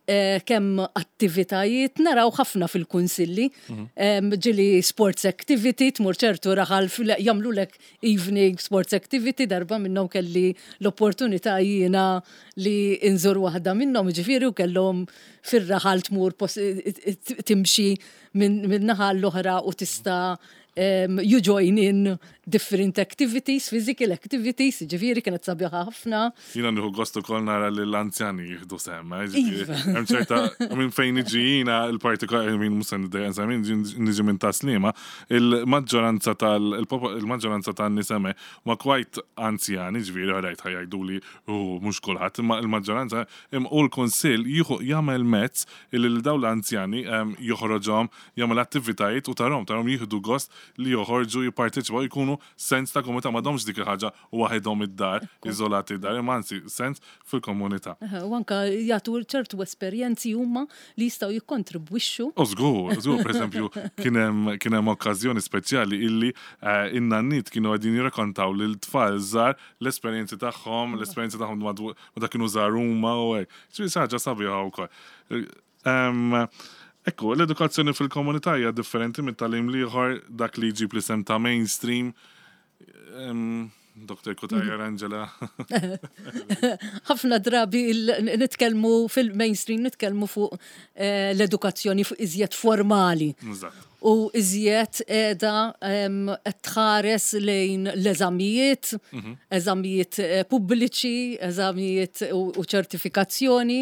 eh, kemm attivitajiet, naraw ħafna fil-kunsilli. Em, Ġieli sports activity, tmur ċertu raħal fil- jagħmlulek evening sports activity, darba minnhom kelli l-opportunità jiena li inżur waħda minnhom, ġifieri u kellhom fir-raħal tmur pos- timxi minn min naħa l-oħra u tista' um, you join in different activities, physical activities, ġifieri kienet sabiħa ħafna. Jiena nieħu gost ukoll nara li l-anzjani jieħdu sehem, eh, ġifieri, Iva. Hemm ċerta minn fejn niġi jiena il-partikolari minn mhux se niddejja minn niġi minn Tas-Sliema, il-maġġoranza tal il-maġġoranza tan-nies hemmhekk ma quite anzjani, ġifieri għarajt ħa jgħidu li u mhux kulħadd, imma il-maġġoranza im u l-kunsill jieħu jagħmel mezz illi lil dawn l-anzjani em, joħroġhom jagħmel attivitajiet u tarahom tarahom jieħdu gost li joħorġu jipparteċipaw jkunu sens ta' komunità m'għadhomx dik il-ħaġa waħedhom id-dar, iżolati id-dar, imma anzi sens fil-komunità. Eħe, u anka jagħtu ċertu esperjenzi huma li jistgħu jikkontribwixxu. U żgur, żgur, per eżempju, kien hemm kien hemm okkażjoni speċjali illi eh, in-nanniet kienu qegħdin jirrakkontaw lil tfal żgħar l-esperjenzi tagħhom, l-esperjenzi tagħhom madwu- meta kienu żgħar huma u hekk. Ġifieri xi ħaġa sabiħa wkoll. Em, Ekku, l-edukazzjoni fil-komunità hija differenti mit-tagħlim l-ieħor dak li jġib l-isem ta' mainstream. Em, Doktor Cutajar, Angela. Ħafna drabi il- nitkellmu fil-mainstream, nitkellmu fuq eh, l-edukazzjoni fuq iżjed formali. Eżatt. U iżjed edha em, qed tħares lejn l-eżamijiet, eżamijiet eh, pubbliċi, eżamijiet u, u ċertifikazzjoni,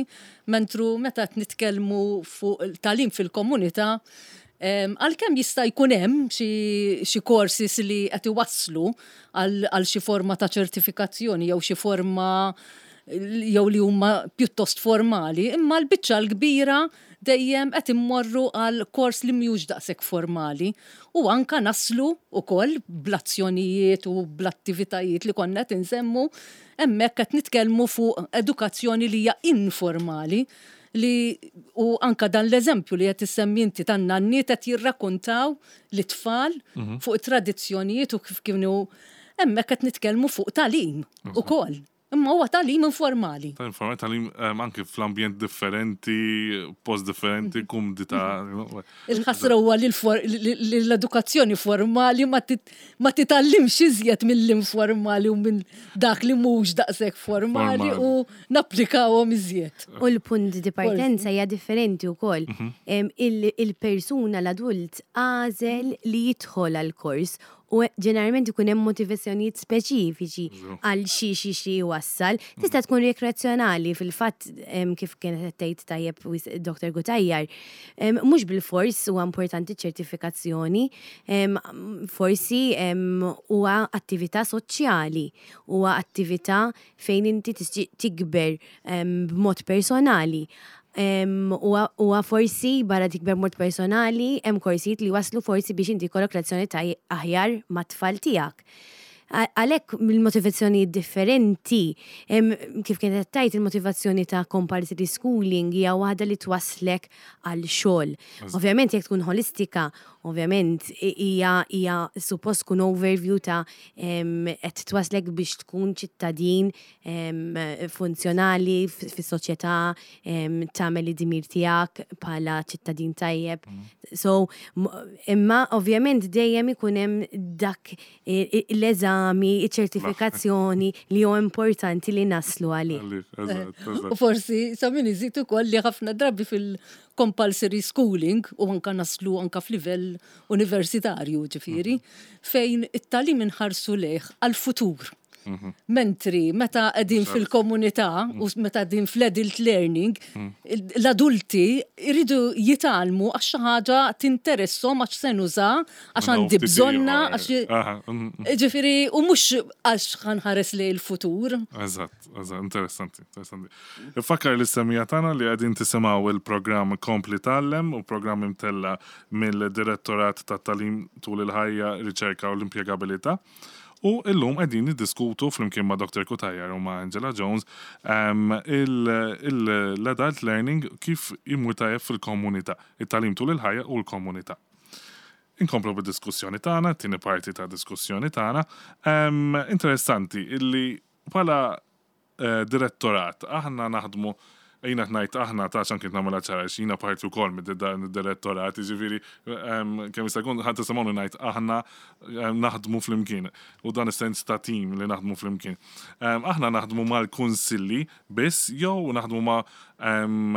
mentru meta qed nitkellmu fuq il-tagħlim fil-komunità, em, għalkemm jista' jkun hemm xi xi courses li qed iwasslu għal għal xi forma ta' ċertifikazzjoni jew xi forma jew li huma pjuttost formali, imma l-biċċa l-kbira dejjem qed immorru għal kors li mhux daqshekk formali u anka naslu ukoll bl-azzjonijiet u bl-attivitajiet li konna qed insemmu hemmhekk qed nitkellmu fuq edukazzjoni li hija informali li u anka dan l-eżempju li qed issemmi inti tan-nanniet qed jirrakkontaw lit-tfal fuq it-tradizzjonijiet u kif kienu hemmhekk qed nitkellmu fuq tagħlim ukoll. Imma huwa tagħlim informali. Ta' informali tagħlim em, anke fl-ambjent differenti, post differenti, kumdità. Il-ħasra huwa li l-for- li li l-edukazzjoni formali ma tit- ma titgħallimx iżjed mill-informali u minn dak li mhux daqshekk formali Formali. u napplikawhom iżjed. U l-punt di partenza hija differenti wkoll. Em, il- Il-persuna, l-adult, għażel li jidħol għal kors u ġeneralment ikun hemm motivazzjonijiet speċifiċi għal xi xi xi wassal. Tista' tkun rekreazzjonali fil-fatt em, kif kienet qed tgħid tajjeb wis- Doktor Cutajar. Em, Mhux bil-fors huwa importanti ċertifikazzjoni, em, forsi em, huwa attività soċjali, huwa attività fejn inti tixtieq tikber em, b'mod personali. Em, Huwa huwa forsi barra tikber b'mod personali, hemm korsijiet li waslu forsi biex inti jkollok relazzjoni ta' aħjar mat-tfal tiegħek. A- Għalhekk mill-motivazzjoni differenti, em, kif kienet tgħid il-motivazzjoni ta' compulsory schooling hija waħda li twaslek għal xogħol. Ovvjament jekk tkun holistika, ovvjament i- hija hija suppost tkun overview ta' em, qed twaslek biex tkun ċittadin em, funzjonali f- fis-soċjetà, em, tagħmel id-dmir tiegħek bħala ċittadin tajjeb. So, m- imma ovvjament dejjem ikun hemm dak i- i- l-eżami, iċ-ċertifikazzjoni li huwa importanti li naslu għalih. Eżatt, eżatt. U forsi sa min iżid ukoll li ħafna drabi fil-compulsory schooling u anka naslu anka f'livell universitarju ġifieri, fejn it-tagħlim inħarsu lejh għal-futur. Mentri meta qegħdin fil-komunità u meta qegħdin fl-adult learning, l-adulti jridu jitgħallmu għax xi ħaġa tinteressom, għax se nuża, għax għandi bżonna, għax Aha, mm, mm. Ġifieri, u mhux għax ħa nħares lejn il-futur. Eżatt, eżatt, interessanti, interessanti. Ifakkar lis-semmiegħa tagħna li qegħdin tisimgħu il-programm Kompli Tgħallem u programm imtella mill-Direttorat ta' Tagħlim tul il-ħajja, Riċerka u l-Impjegabilità. U illum qegħdin niddiskutu flimkien ma' Doctor Cutajar u ma' Angela Jones um, l-adult learning kif imur tajjeb fil-komunità, it-tagħlim tul il-ħajja u l-komunità. Inkomplu bid-diskussjoni tagħna, tieni parti ta' diskussjoni tagħna. Um, interessanti illi bħala eh, direttorat aħna naħdmu, jiena ngħid aħna ta' xan kien nagħmilha ċara, jiena parti wkoll mid-direttorat, jiġifieri kemm jista' jkun ħadd tisimgħuni ngħid aħna em, naħdmu flimkien u dan is-sens ta' team li naħdmu flimkien. Em, Aħna naħdmu mal-kunsilli biss jew naħdmu ma' em,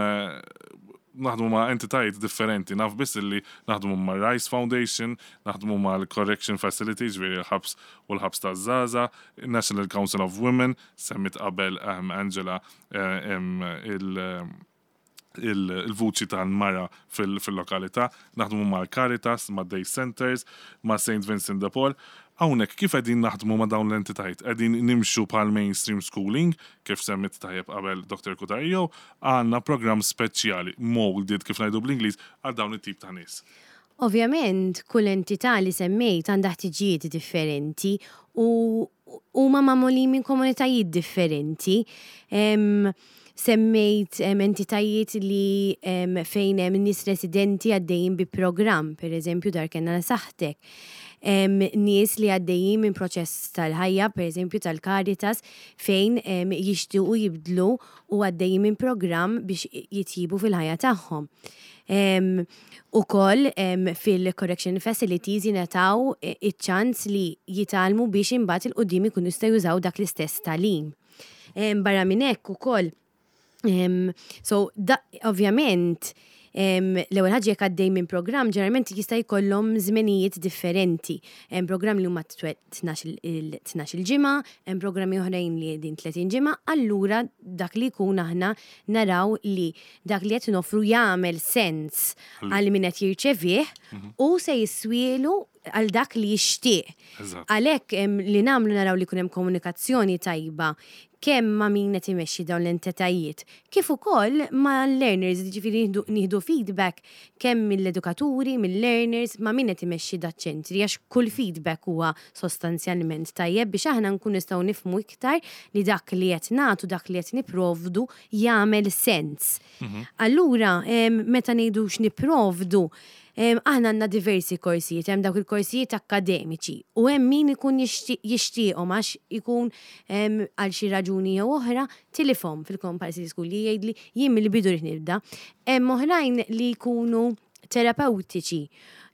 naħdmu ma' entitajiet differenti? Naf biss li naħdmu ma' Rice Foundation, naħdmu ma' Correction Facilities, ġifieri l-ħabs u l-ħabs ta' Zaza, National Council of Women, semmit qabel um, Angela eh, em, il- il- il-vuċi tal-mara fil-lokalità, naħdmu ma' Caritas, ma' Day Centers, ma' Saint Vincent de Paul. Hawnhekk kif qegħdin naħdmu ma' dawn l-entitajiet? Qegħdin nimxu bħal mainstream schooling, kif semmit tajjeb qabel Doctor Cutajar, jew għandna programm speċjali, molded kif ngħidu bl-Ingliż, għal dawn it-tip ta' nies? Ovvjament, kull entità li semmejt għandha ħtiġijiet differenti u huma magħmulin minn komunitajiet differenti. Em, semmejt em, entitajiet li em, fejn hemm nies residenti għaddejjin bi programm, per eżempju Dar Kenn għal Saħħtek. Em, nies li għaddejjin minn proċess tal-ħajja, per eżempju tal-Caritas, fejn em, jixtiequ jibdlu u għaddejjin minn programm biex jitjibu fil-ħajja tagħhom. Um, u koll um, fil-correction facilities jingħataw eh, iċ-ċans li jitgħallmu biex imbagħad 'il quddiem ikunu jistgħu jużaw dak l-istess tagħlim. Um, barra minn hekk ukoll um, so da, ovvjament um, l-ewwel ħaġa, jekk għaddej minn programm, ġeneralment jista' jkollhom żmenijiet differenti. Hemm programm li huma tnax-il ġimgħa, hemm programmi oħrajn li din tletin ġimgħa, allura dak li jkun aħna naraw li dak li qed noffru jagħmel sens għal min qed jirċevih u se jiswielu għal dak li jixtieq. Eżatt. Għalhekk em, li nagħmlu, naraw li jkun hemm komunikazzjoni tajba kemm ma' min qed imexxi dawn l-entitajiet, kif ukoll ma' learners, ġifieri nieħdu- nieħdu feedback kemm mill-edukaturi, mill-learners, ma' min qed imexxi daċ-ċentri, għax kull feedback huwa sostanzjalment tajjeb biex aħna nkun nistgħu nifhmu iktar li dak li qed nagħtu, dak li qed nipprovdu jagħmel sens. Allura, em, meta ngħidu x'nipprovdu, em, aħna għandna diversi korsijiet, hemm dawk il-korsijiet akademiċi u hemm min ikun jixti- jixtieqhom għax ikun em, għal xi raġuni jew oħra tilifhom fil-compulsory school, li jgħidli jien mill-bidu rrid nibda. Hemm oħrajn li jkunu terapeutiċi.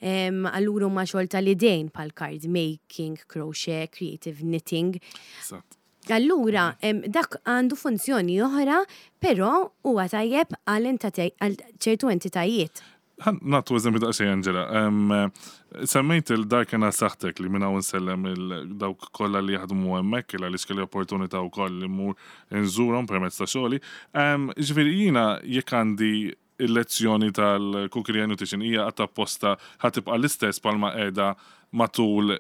Em, Allura huma xogħol tal-idejn bħal card making, crochet, creative knitting. Eżatt. Allura, em, dak għandu funzjoni oħra, però huwa tajjeb għal entita- għal ċertu entitajiet. Ħa nagħtu eżempju daqsxejn, Angela. Em, Semmejt il-Dar Kenn għal Saħħtek, li minn hawn nsellem il-dawk kollha li jaħdmu hemmhekk, il għaliex kelli opportunità wkoll li mmur nżurhom permezz ta' xogħli. Em, Ġifieri jiena jekk għandi il-lezzjoni tal-cookery and nutrition, hija għatta apposta ħa tibqa' l-istess bħalma qiegħda matul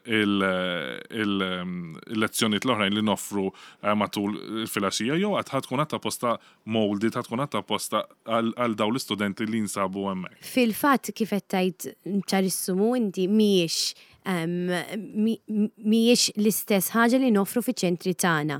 il-lezzjonijiet l-oħrajn li noffru eh, matul il-filgħaxija, jew għad ħa tkun għatta apposta molded, ħa tkun għatta apposta għal għal dawn l-istudenti li jinsabu hemmhekk? Fil-fatt, kif qed tgħid ċarissimu inti, mhijiex em, mi- mhijiex l-istess ħaġa li noffru fiċ-ċentri tagħna.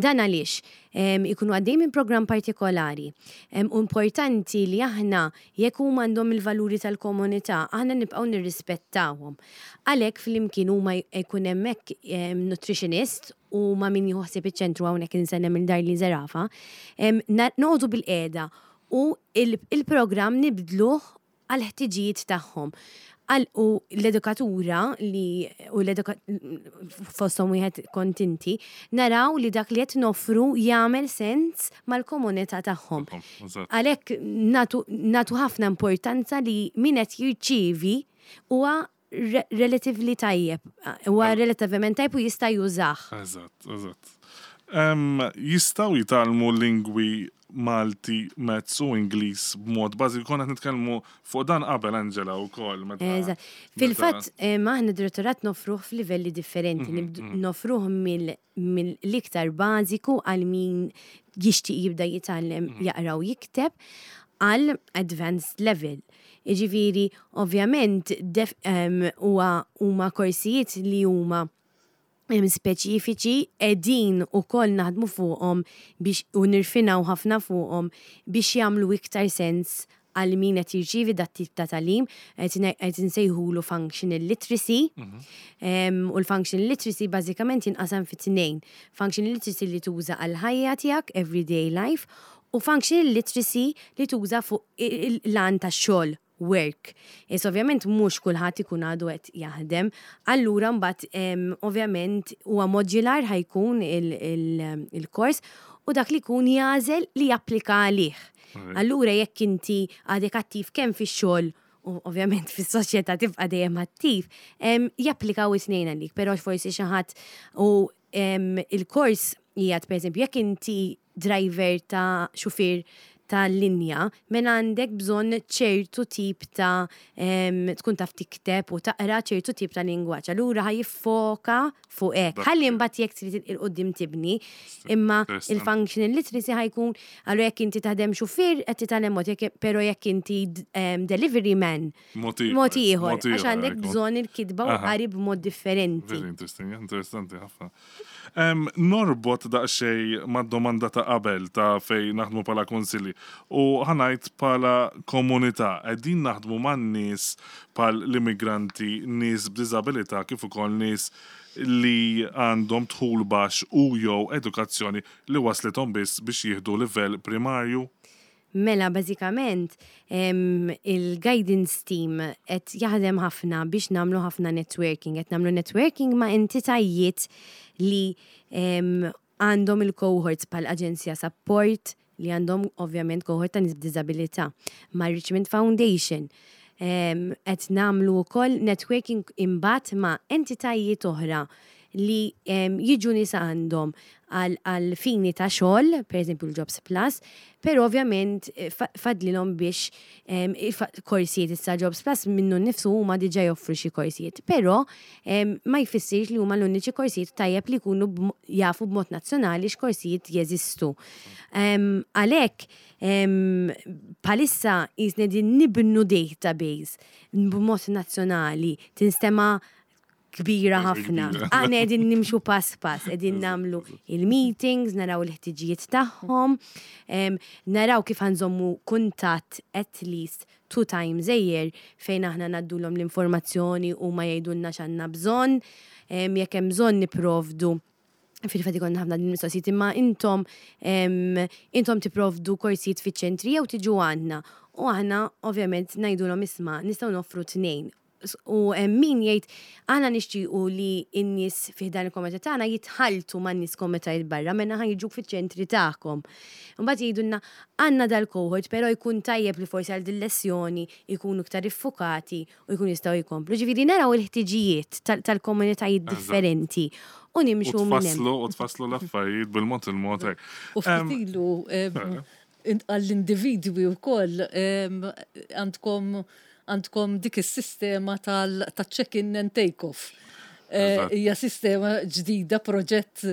Dan għaliex em, ikunu għaddej minn programm partikolari. Em, u importanti li aħna, jekk huma għandhom il-valuri tal-komunità, aħna nibqgħu nirrispettawhom. Għalhekk flimkien huma jkun hemmhekk em, nutritionist u ma' min jieħu ħsieb iċ-ċentru, hawnhekk insellem lil Darlene Zerafa, em, na- noqogħdu bilqiegħda u il- il-programm nibdluh għal ħtiġijiet tagħhom. Għal u l-edukatura li u l-eduka fosthom wieħed kontinti, naraw li dak li qed noffru jagħmel sens mal-komunità tagħhom. Eżatt. Għalhekk nagħtu nagħtu ħafna importanza li min qed jirċievi huwa re relatively tajjeb, huwa relativament tajjeb u jista' jużah. Eżatt, eżatt. Em, Jistgħu jitgħallmu lingwi Malti, Maths u Ingliż b'mod bażiku. Konna qed nitkellmu fuq dan qabel, Angela, wkoll. meta- Eżatt. Fil-fatt, eh, aħna direttorat nofruh f'livelli differenti. Nibdu- Nofruh mill- mill-iktar bażiku għal min jixtieq jibda jitgħallem jaqra u jikteb għal advanced level. Jiġifieri, ovvjament, def- em, huwa huma korsijiet li huma em, speċifiċi qegħdin ukoll naħdmu fuqhom biex u nirfinaw ħafna fuqhom biex jagħmlu iktar sens għal min qed jirċievi dat tip ta' tagħlim, qed qed insejħulu functional literacy. Em, U l-functional literacy bażikament jinqasam fi tnejn. Functional literacy li tuża għal ħajja tiegħek, everyday life, u functional literacy li tuża fuq il-lan tax-xogħol, work. Is ovvjament mhux kulħadd ikun għadu qed jaħdem. Allura mbagħad em, ovvjament huwa modular ħa jkun il-kors u dak li jkun jagħżel li japplika għalih. Allura jekk inti għadek attiv kemm fix-xogħol u ovvjament fis-soċjetà tibqa' dejjem attiv, em, japplikaw it-tnejn għalik, però forsi xi ħadd u em, il-kors jgħid, per eżempju, jekk inti driver ta' xufier ta' linja, mela għandek bżonn ċertu tip ta' em, tkun taf tikteb u taqra ċertu tip ta' lingwaġġ. Allura ħa jiffoka fuq hekk. Ħalli mbagħad jekk trid 'il quddiem tibni, imma Interessanti. il-functional literacy ħa jkun allura jekk inti taħdem xufier qed titgħallem mod, jekk- però jekk inti em, delivery man, Mod ieħor, mod ieħor, mod ieħor għax għandek ħa jkun. bżonn il-kitba u Aha. qari b'mod differenti. Very interesting, interessanti ħafna. Em, norbot daqsxejn mad-domanda ta' qabel ta' fej naħdmu bħala kunsilli u ħa ngħid bħala komunità, qegħdin naħdmu man nies bħal l-immigranti, nies b'diżabilità kif ukoll nies li għandhom dħul baxx u jew edukazzjoni li waslithom biss biex jieħdu livell primarju? Mela, bażikament, em, il-guidance team qed jaħdem ħafna biex nagħmlu ħafna networking. Qed nagħmlu networking ma' entitajiet li em, għandhom il-cohorts bħal Aġenzija Support li għandhom ovvjament cohort ta' nies b'diżabilità, ma' Richmond Foundation. Em, Qed nagħmlu wkoll networking imbagħad ma' entitajiet oħra li em, jiġu nies għandhom għal għal fini ta' xogħol, per eżempju l-Jobs Plus, però ovvjament eh, fa- fadlilhom biex em, ifa- korsijiet. Issa Jobs Plus minnu nnifsu huma diġà joffru xi korsijiet, però em, ma jfissirx li huma l-uniċi korsijiet, tajjeb li jkunu b'mo- jafu b'mod nazzjonali x'korsijiet jeżistu. Em, Għalhekk em, bħalissa qisna qegħdin nibnu database b'mod nazzjonali, tinstema' kbira ħafna. Kbira. Aħna qegħdin nimxu pass pass, qegħdin nagħmlu il-meetings, naraw il-ħtiġijiet tagħhom, em, naraw kif ħa nżommu kuntatt at least two times a year fejn aħna ngħaddulhom l-informazzjoni u ma jgħidulna x'għandna bżonn, em, jekk hemm bżonn nipprovdu. Fil-fatt ikollna ħafna din mistoqsijiet, imma intom em, intom tipprovdu korsijiet fiċ-ċentri jew tiġu għandna? U aħna ovvjament ngħidulhom, isma', nistgħu noffru tnejn. S- U hemm min jgħid, aħna nixtiequ li n-nies fi dan il-komunità tagħna jitħaltu man nies komunitajiet barra, mela ħa jiġu fiċ-ċentri tagħkom. Mbagħad jgħidulna, għandna dal-cohort, però jkun tajjeb li forsi għal din-lezzjoni jkunu iktar iffukati u jkunu jistgħu jkomplu. Ġifieri naraw il-ħtiġijiet tal- tal-komunitajiet Eżatt. differenti u U nimxu minn hemm. tfasslu, u tfasslu l-affarijiet bil-mod il-mod hekk. U ftit ilu em, in- għall-individwi wkoll em, għandkom għandkom dik is-sistema tal-check-in and take-off. Eh, Eżatt. Hija sistema ġdida, proġett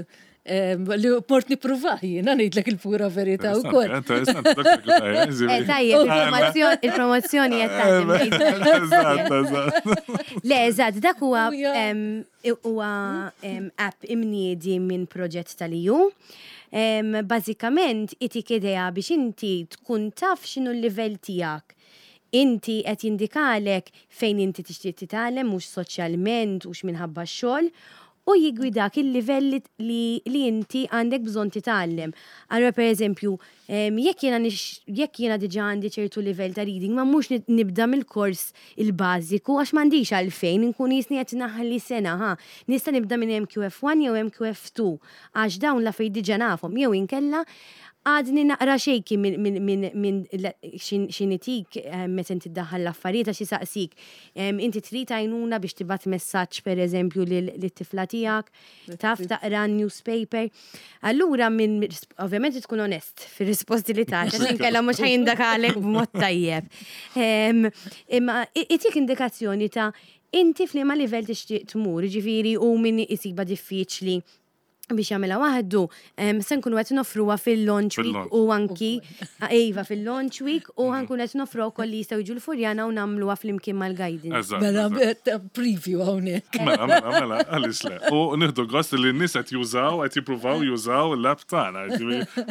em, li mort nippruvah jiena, ngħidlek il-pura verità wkoll. Interessanti, Doktor Cutajar, Eh, tajjeb, il-promozzjoni il-promozzjoni qed taħdem. Eżatt, eżatt. Le, eżatt, dak huwa U ja- em, huwa em, app imniedi minn proġett tal-E U. Em, Bażikament itik idea biex inti tkun taf x'inhu l-livell tiegħek. Inti qed jindikalek fejn inti tixtieq titgħallem, mhux soċjalment u minħabba x-xogħol, u jiggwidak il-livell li, li, li inti għandek bżonn titgħallem. Allora, per eżempju, em, jekk jiena nix- jekk jiena diġà għandi ċertu livell ta' reading, ma mhux nib- nibda mill-kors il-bażiku għax m'għandix għalfejn inkun qisni qed naħli sena, ha. Nista' nibda minn M Q F one jew M Q F two għax dawn l-affarijiet diġà nafhom, jew inkella Għadni naqra shaky minn min, min, min xinitik meta inti ddaħħal l-affarijiet għax jisaqsik. Inti trid għajnuna biex tibgħat messaġġ, per eżempju, lit-tifla tiegħek, taf taqra newspaper. Allura minn ovvjament tkun onest fir-risposti li tagħti, għax inkella mhux ħa jindakalek b'mod tajjeb. Imma itik indikazzjoni ta' inti f'liema livell tixtieq tmur, ġifieri u min isibha diffiċli biex jagħmilha waħdu, se nkunu qed noffruha fil-launch week u anki iva, fil-launch week u ħa nkunu qed noffru wkoll li jistgħu jiġu l-Furjana u nagħmluha flimkien mal-guidance. Mela, preview hawnhekk. Mela, mela, mela, għaliex le? U nieħdu gost li n-nies qed jużaw, qed jippruvaw jużaw l-app tagħna,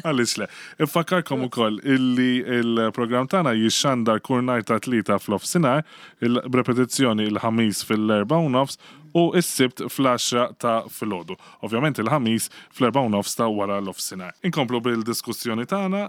għaliex le? Infakkarkom ukoll illi il-programm tagħna jixxandar kull nhar ta' Tlieta f'nofsinhar, b'repetizzjoni il-Ħamis fil-erbgħa u nofs u s-Sibt fl-għaxra ta' filgħodu. Ovvjament il-Ħamis fl-erbgħa u nofs ta' wara l-nofsinhar. Inkomplu bil-diskussjoni tagħna,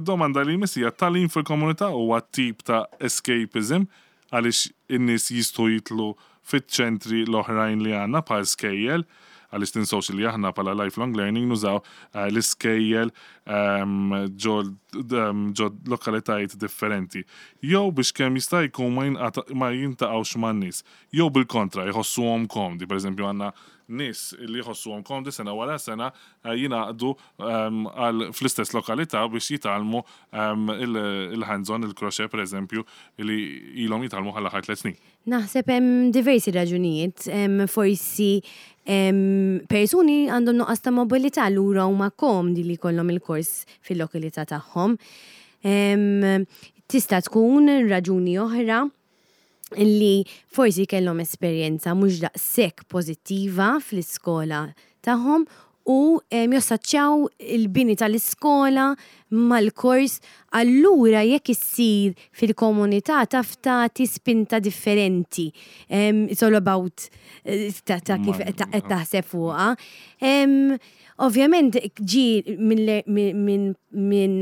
domanda li misija: tagħlim fil-komunità huwa tip ta' escapism għaliex in-nies jistgħu jitlu fiċ-ċentri l-oħrajn li għandna bħal skejjel, għaliex tinsewx li aħna bħala Lifelong Learning nużaw eh, l-iskejjel ehm, ġo ehm, ġo lokalitajiet differenti. Jew biex kemm jista' jkun ma jinqata- ma jiltaqgħux man-nies. Jew bil-kontra, jħossuhom komdi. Per eżempju, għandna nies li jħossuhom komdi sena wara sena eh, jingħaqdu ehm, għal fl-istess lokalità biex jitgħallmu ehm, il- il-hands-on, il-crochet, per eżempju, li ilhom jitgħallmu għall-aħħar tliet snin. Naħseb hemm diversi raġunijiet, hemm forsi hemm persuni għandhom nuqqas ta' mobilità, allura huma komdi li jkollhom il-kors fil-lokalità tagħhom. Em, Tista' tkun raġuni oħra li forsi kellhom esperjenza mhux daqshekk pożittiva fl-iskola tagħhom u em, jassoċjaw il-bini tal-iskola mal-kors, allura jekk issir fil-komunità taf tagħti spinta differenti. Em, it's all about eh, ta' ta' kif Ma- ta' qed taħseb fuqha. Em, Ovvjament ġi minn minn minn minn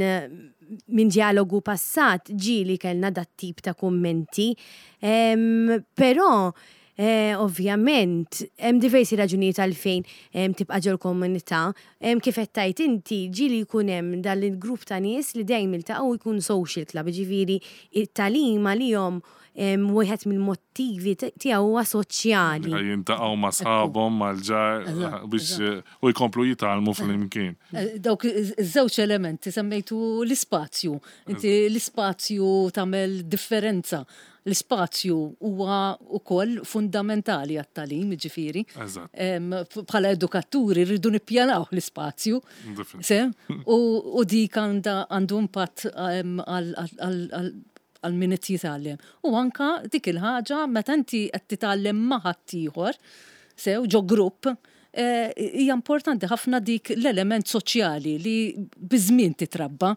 minn dialogu passat ġi li kellna dat tip ta' kummenti, Em, però eh, ovvjament hemm diversi raġunijiet għalfejn em, tibqa' ġol komunità. Em, kif qed tajt inti, ġi li jkun hemm dan il-grupp ta' nies li dejjem iltaqgħu, jkun social club, ġifieri it-tagħlim għalihom em, wieħed mill-motivi tiegħu huwa soċjali. Jiltaqgħu ma' sħabhom, mal-ġar, Eżatt, biex eh, u jkomplu jitgħallmu flimkien. Eh, Dawk iż-żewġ elementi semmejtu l-ispazju. Inti l-ispazju tagħmel differenza. L-ispazju huwa wkoll fundamentali għat-tagħlim, ġifieri. Eżatt. Em, Bħala edukaturi rridu nippjanaw l-ispazju. Definitely. Se? U, u dik għanda għandu impatt em, għal- għal- għal- għal għal min qed jitgħallem. U anka dik il-ħaġa meta inti qed titgħallem ma' ħaddieħor, sew ġo grupp, eh, hija importanti ħafna dik l-element soċjali li biż-żmien titrabba.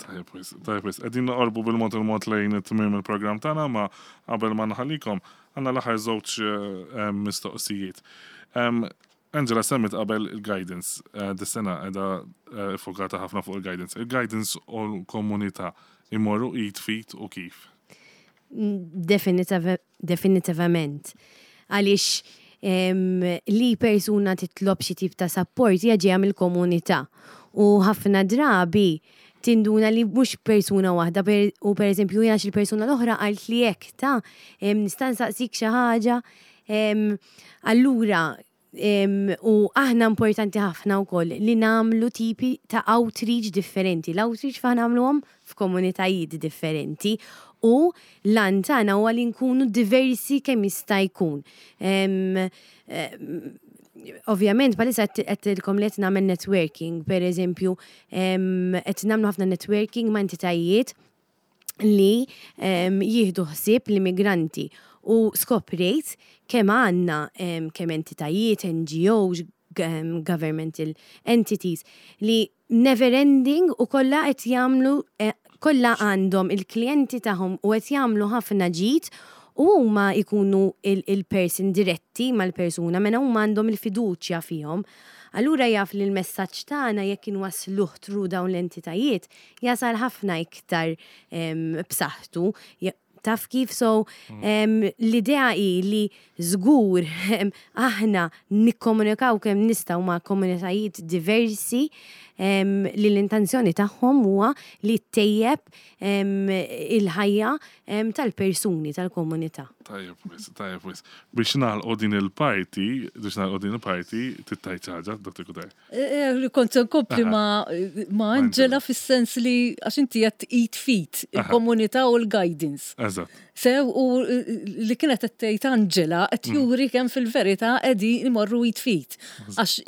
Tajjeb, wis, tajjeb, wis. Qegħdin noqorbu bil-mod il-mod lejn it-tmiem il-programm tagħna, ma qabel ma nħallikom għandna l-aħħar żewġ eh, mistoqsijiet. Em, Angela semmit qabel il-guidance, eh, dis-sena qiegħda eh, fokata ħafna fuq il-guidance. Il-guidance u l-komunità imorru id f'id u kif? Definitiv- Definitivament. Għaliex em, li persuna titlob xi tip ta' support hija ġejja mill-komunità. U ħafna drabi tinduna li mhux persuna waħda per, u per eżempju jiena xi persuna l-oħra qalt li hekk ta' em, nista' nsaqsik xi ħaġa. em, Allura em, u aħna importanti ħafna wkoll li nagħmlu tipi ta' outreach differenti. L-outreach fa nagħmluhom f'komunitajiet differenti u l-għan tagħna huwa li nkunu diversi kemm jista' jkun. Em, em, Ovvjament, bħalissa għedtilkom li qed nagħmel networking, per eżempju, em, qed nagħmlu ħafna networking ma' entitajiet li em, jieħdu ħsieb l-immigranti u skoprejt kemm għandna em, kemm entitajiet, N G Os, g- em, governmental entities li never ending u kollha qed jagħmlu eh, kollha għandhom il-klijenti tagħhom u qed jagħmlu ħafna ġid u huma jkunu il-person diretti mal-persuna mena huma għandhom il-fiduċja fihom. Allura jaf li l-messaġġ tagħna, jekk inwasluh through dawn l-entitajiet, jasal ħafna iktar em, b'saħħtu. Ja- Taf kif? So em, l-idea hi li żgur em, aħna nikkomunikaw kemm nistgħu ma' komunitajiet diversi. li l-intenzjoni tagħhom huwa li ttejjeb il-ħajja tal-persuni tal-komunità. Tajjeb wisq, tajjeb wisq. Biex nagħlqu din il-parti, biex nagħlqu din il-parti, tittajt ħaġa, Dottor Cutajar. Eh, kont nkompli ma' ma' Angela fis-sens li għax inti qed id f'id il-komunità u l-guidance. Eżatt. Sew u li kienet qed tgħid Angela qed mm. juri kemm fil-verità qegħdin imorru id f'id. Għax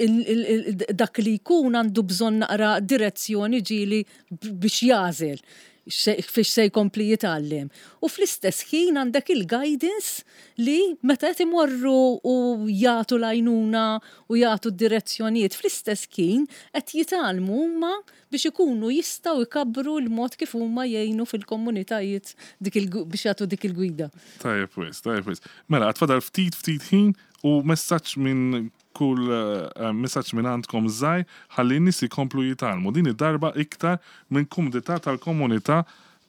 dak li jkun għandu bżonn naqra direzzjoni ġieli biex jagħżel fiex se jkompli jitgħallem. U fl-istess ħin għandek il-guidance li meta qed imorru u jagħtu l-għajnuna u jagħtu d-direzzjonijiet fl-istess ħin qed jitgħallmu huma biex ikunu jistgħu jkabbru l-mod kif huma jgħinu fil-komunitajiet biex jagħtu dik il-gwida. Tajjeb wisq, tajjeb wisq. Mela, għad fadal ftit ftit ħin u messaġġ minn kull eh, messaġġ minn għandkom żgħir ħalli n-nies jkomplu jitgħallmu din id-darba iktar minn kumdità tal-komunità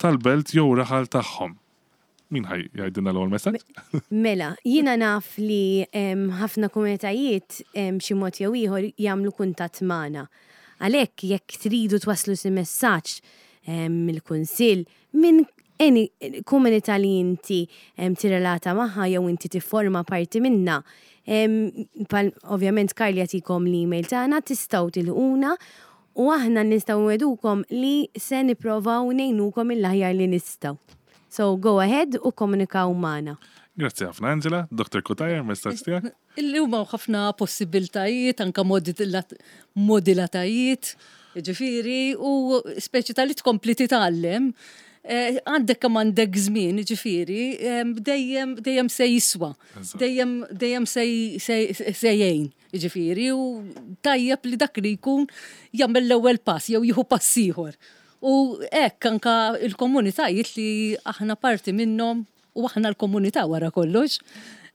tal-belt jew raħal tagħhom. Min ħa jgħidilna l-ewwel messaġġ? Mela, jiena naf li ħafna komunitajiet xi mod jew ieħor jagħmlu kuntatt magħna. Għalhekk jekk tridu twasslu xi messaġġ mill-kunsill minn any komunità li inti tirrelata magħha jew inti tifforma parti minna, ovvjament Karli jagħtikom l-email tagħna tistgħu tilħquna u aħna nistgħu nwegħdukom li se nipprovaw ngħinukom il-aħjar li nistgħu. So go ahead u komunikaw magħna. Grazzi ħafna Angela, Dottor Cutajar, messaġġ tiegħek. Illi huma ħafna possibiltajiet, anka modalitajiet, ġifieri, u speċi tal-li tkompli titgħallem. Eh, għandek kemm għandek żmien, ġifieri, dejjem dejjem se jiswa, dejjem dejjem se jgħin, ġifieri, u tajjeb li dak li jkun jagħmel l-ewwel pass jew jieħu pass ieħor. U hekk anka il-komunitajiet li aħna parti minnhom u aħna l-komunità wara kollox,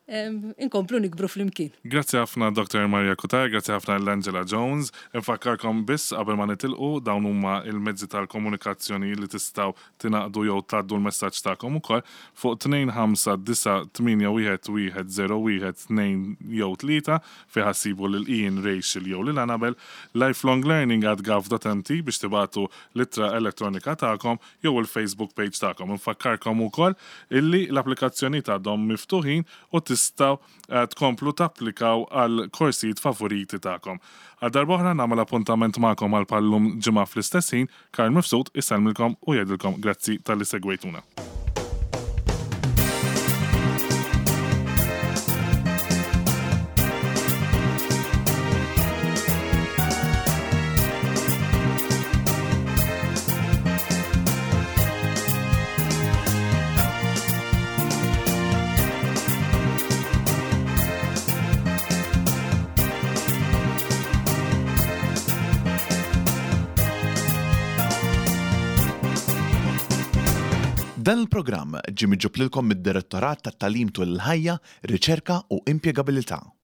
inkomplu nikbru flimkien. Grazzi ħafna Dottor Maria Cutajar, grazzi ħafna l-Angela Jones. Infakkarkom biss qabel ma nitilqu dawn huma il-mezzi tal-komunikazzjoni li tistgħu tingħaqdu jew tgħaddu l-messaġġ tagħkom ukoll fuq tnejn ħamsa disa' tmienja wieħed wieħed zero wieħed tnejn jew tlieta fejn ħassibu lil Ian, Rachel jew lil Annabel, lifelonglearning at gov dot m t biex tibatu l-ittra elettronika tagħkom jew il-Facebook page tagħkom. Infakkarkom ukoll illi l-applikazzjoni għadhom miftuħin u tistgħu, eh, tkomplu tapplikaw għal korsijiet favoriti tagħkom. Għal darb'oħra nagħmel appuntament magħkom għal pallum ġimgħa fl-istess ħin, Karl Mifsud isellmilkom u jgħidilkom grazzi talli segwejtuna. Dan il-programm ġie miġjub lilkom mid-Direttorat tat-Tagħlim tul il-Ħajja, Riċerka u Impjegabilità.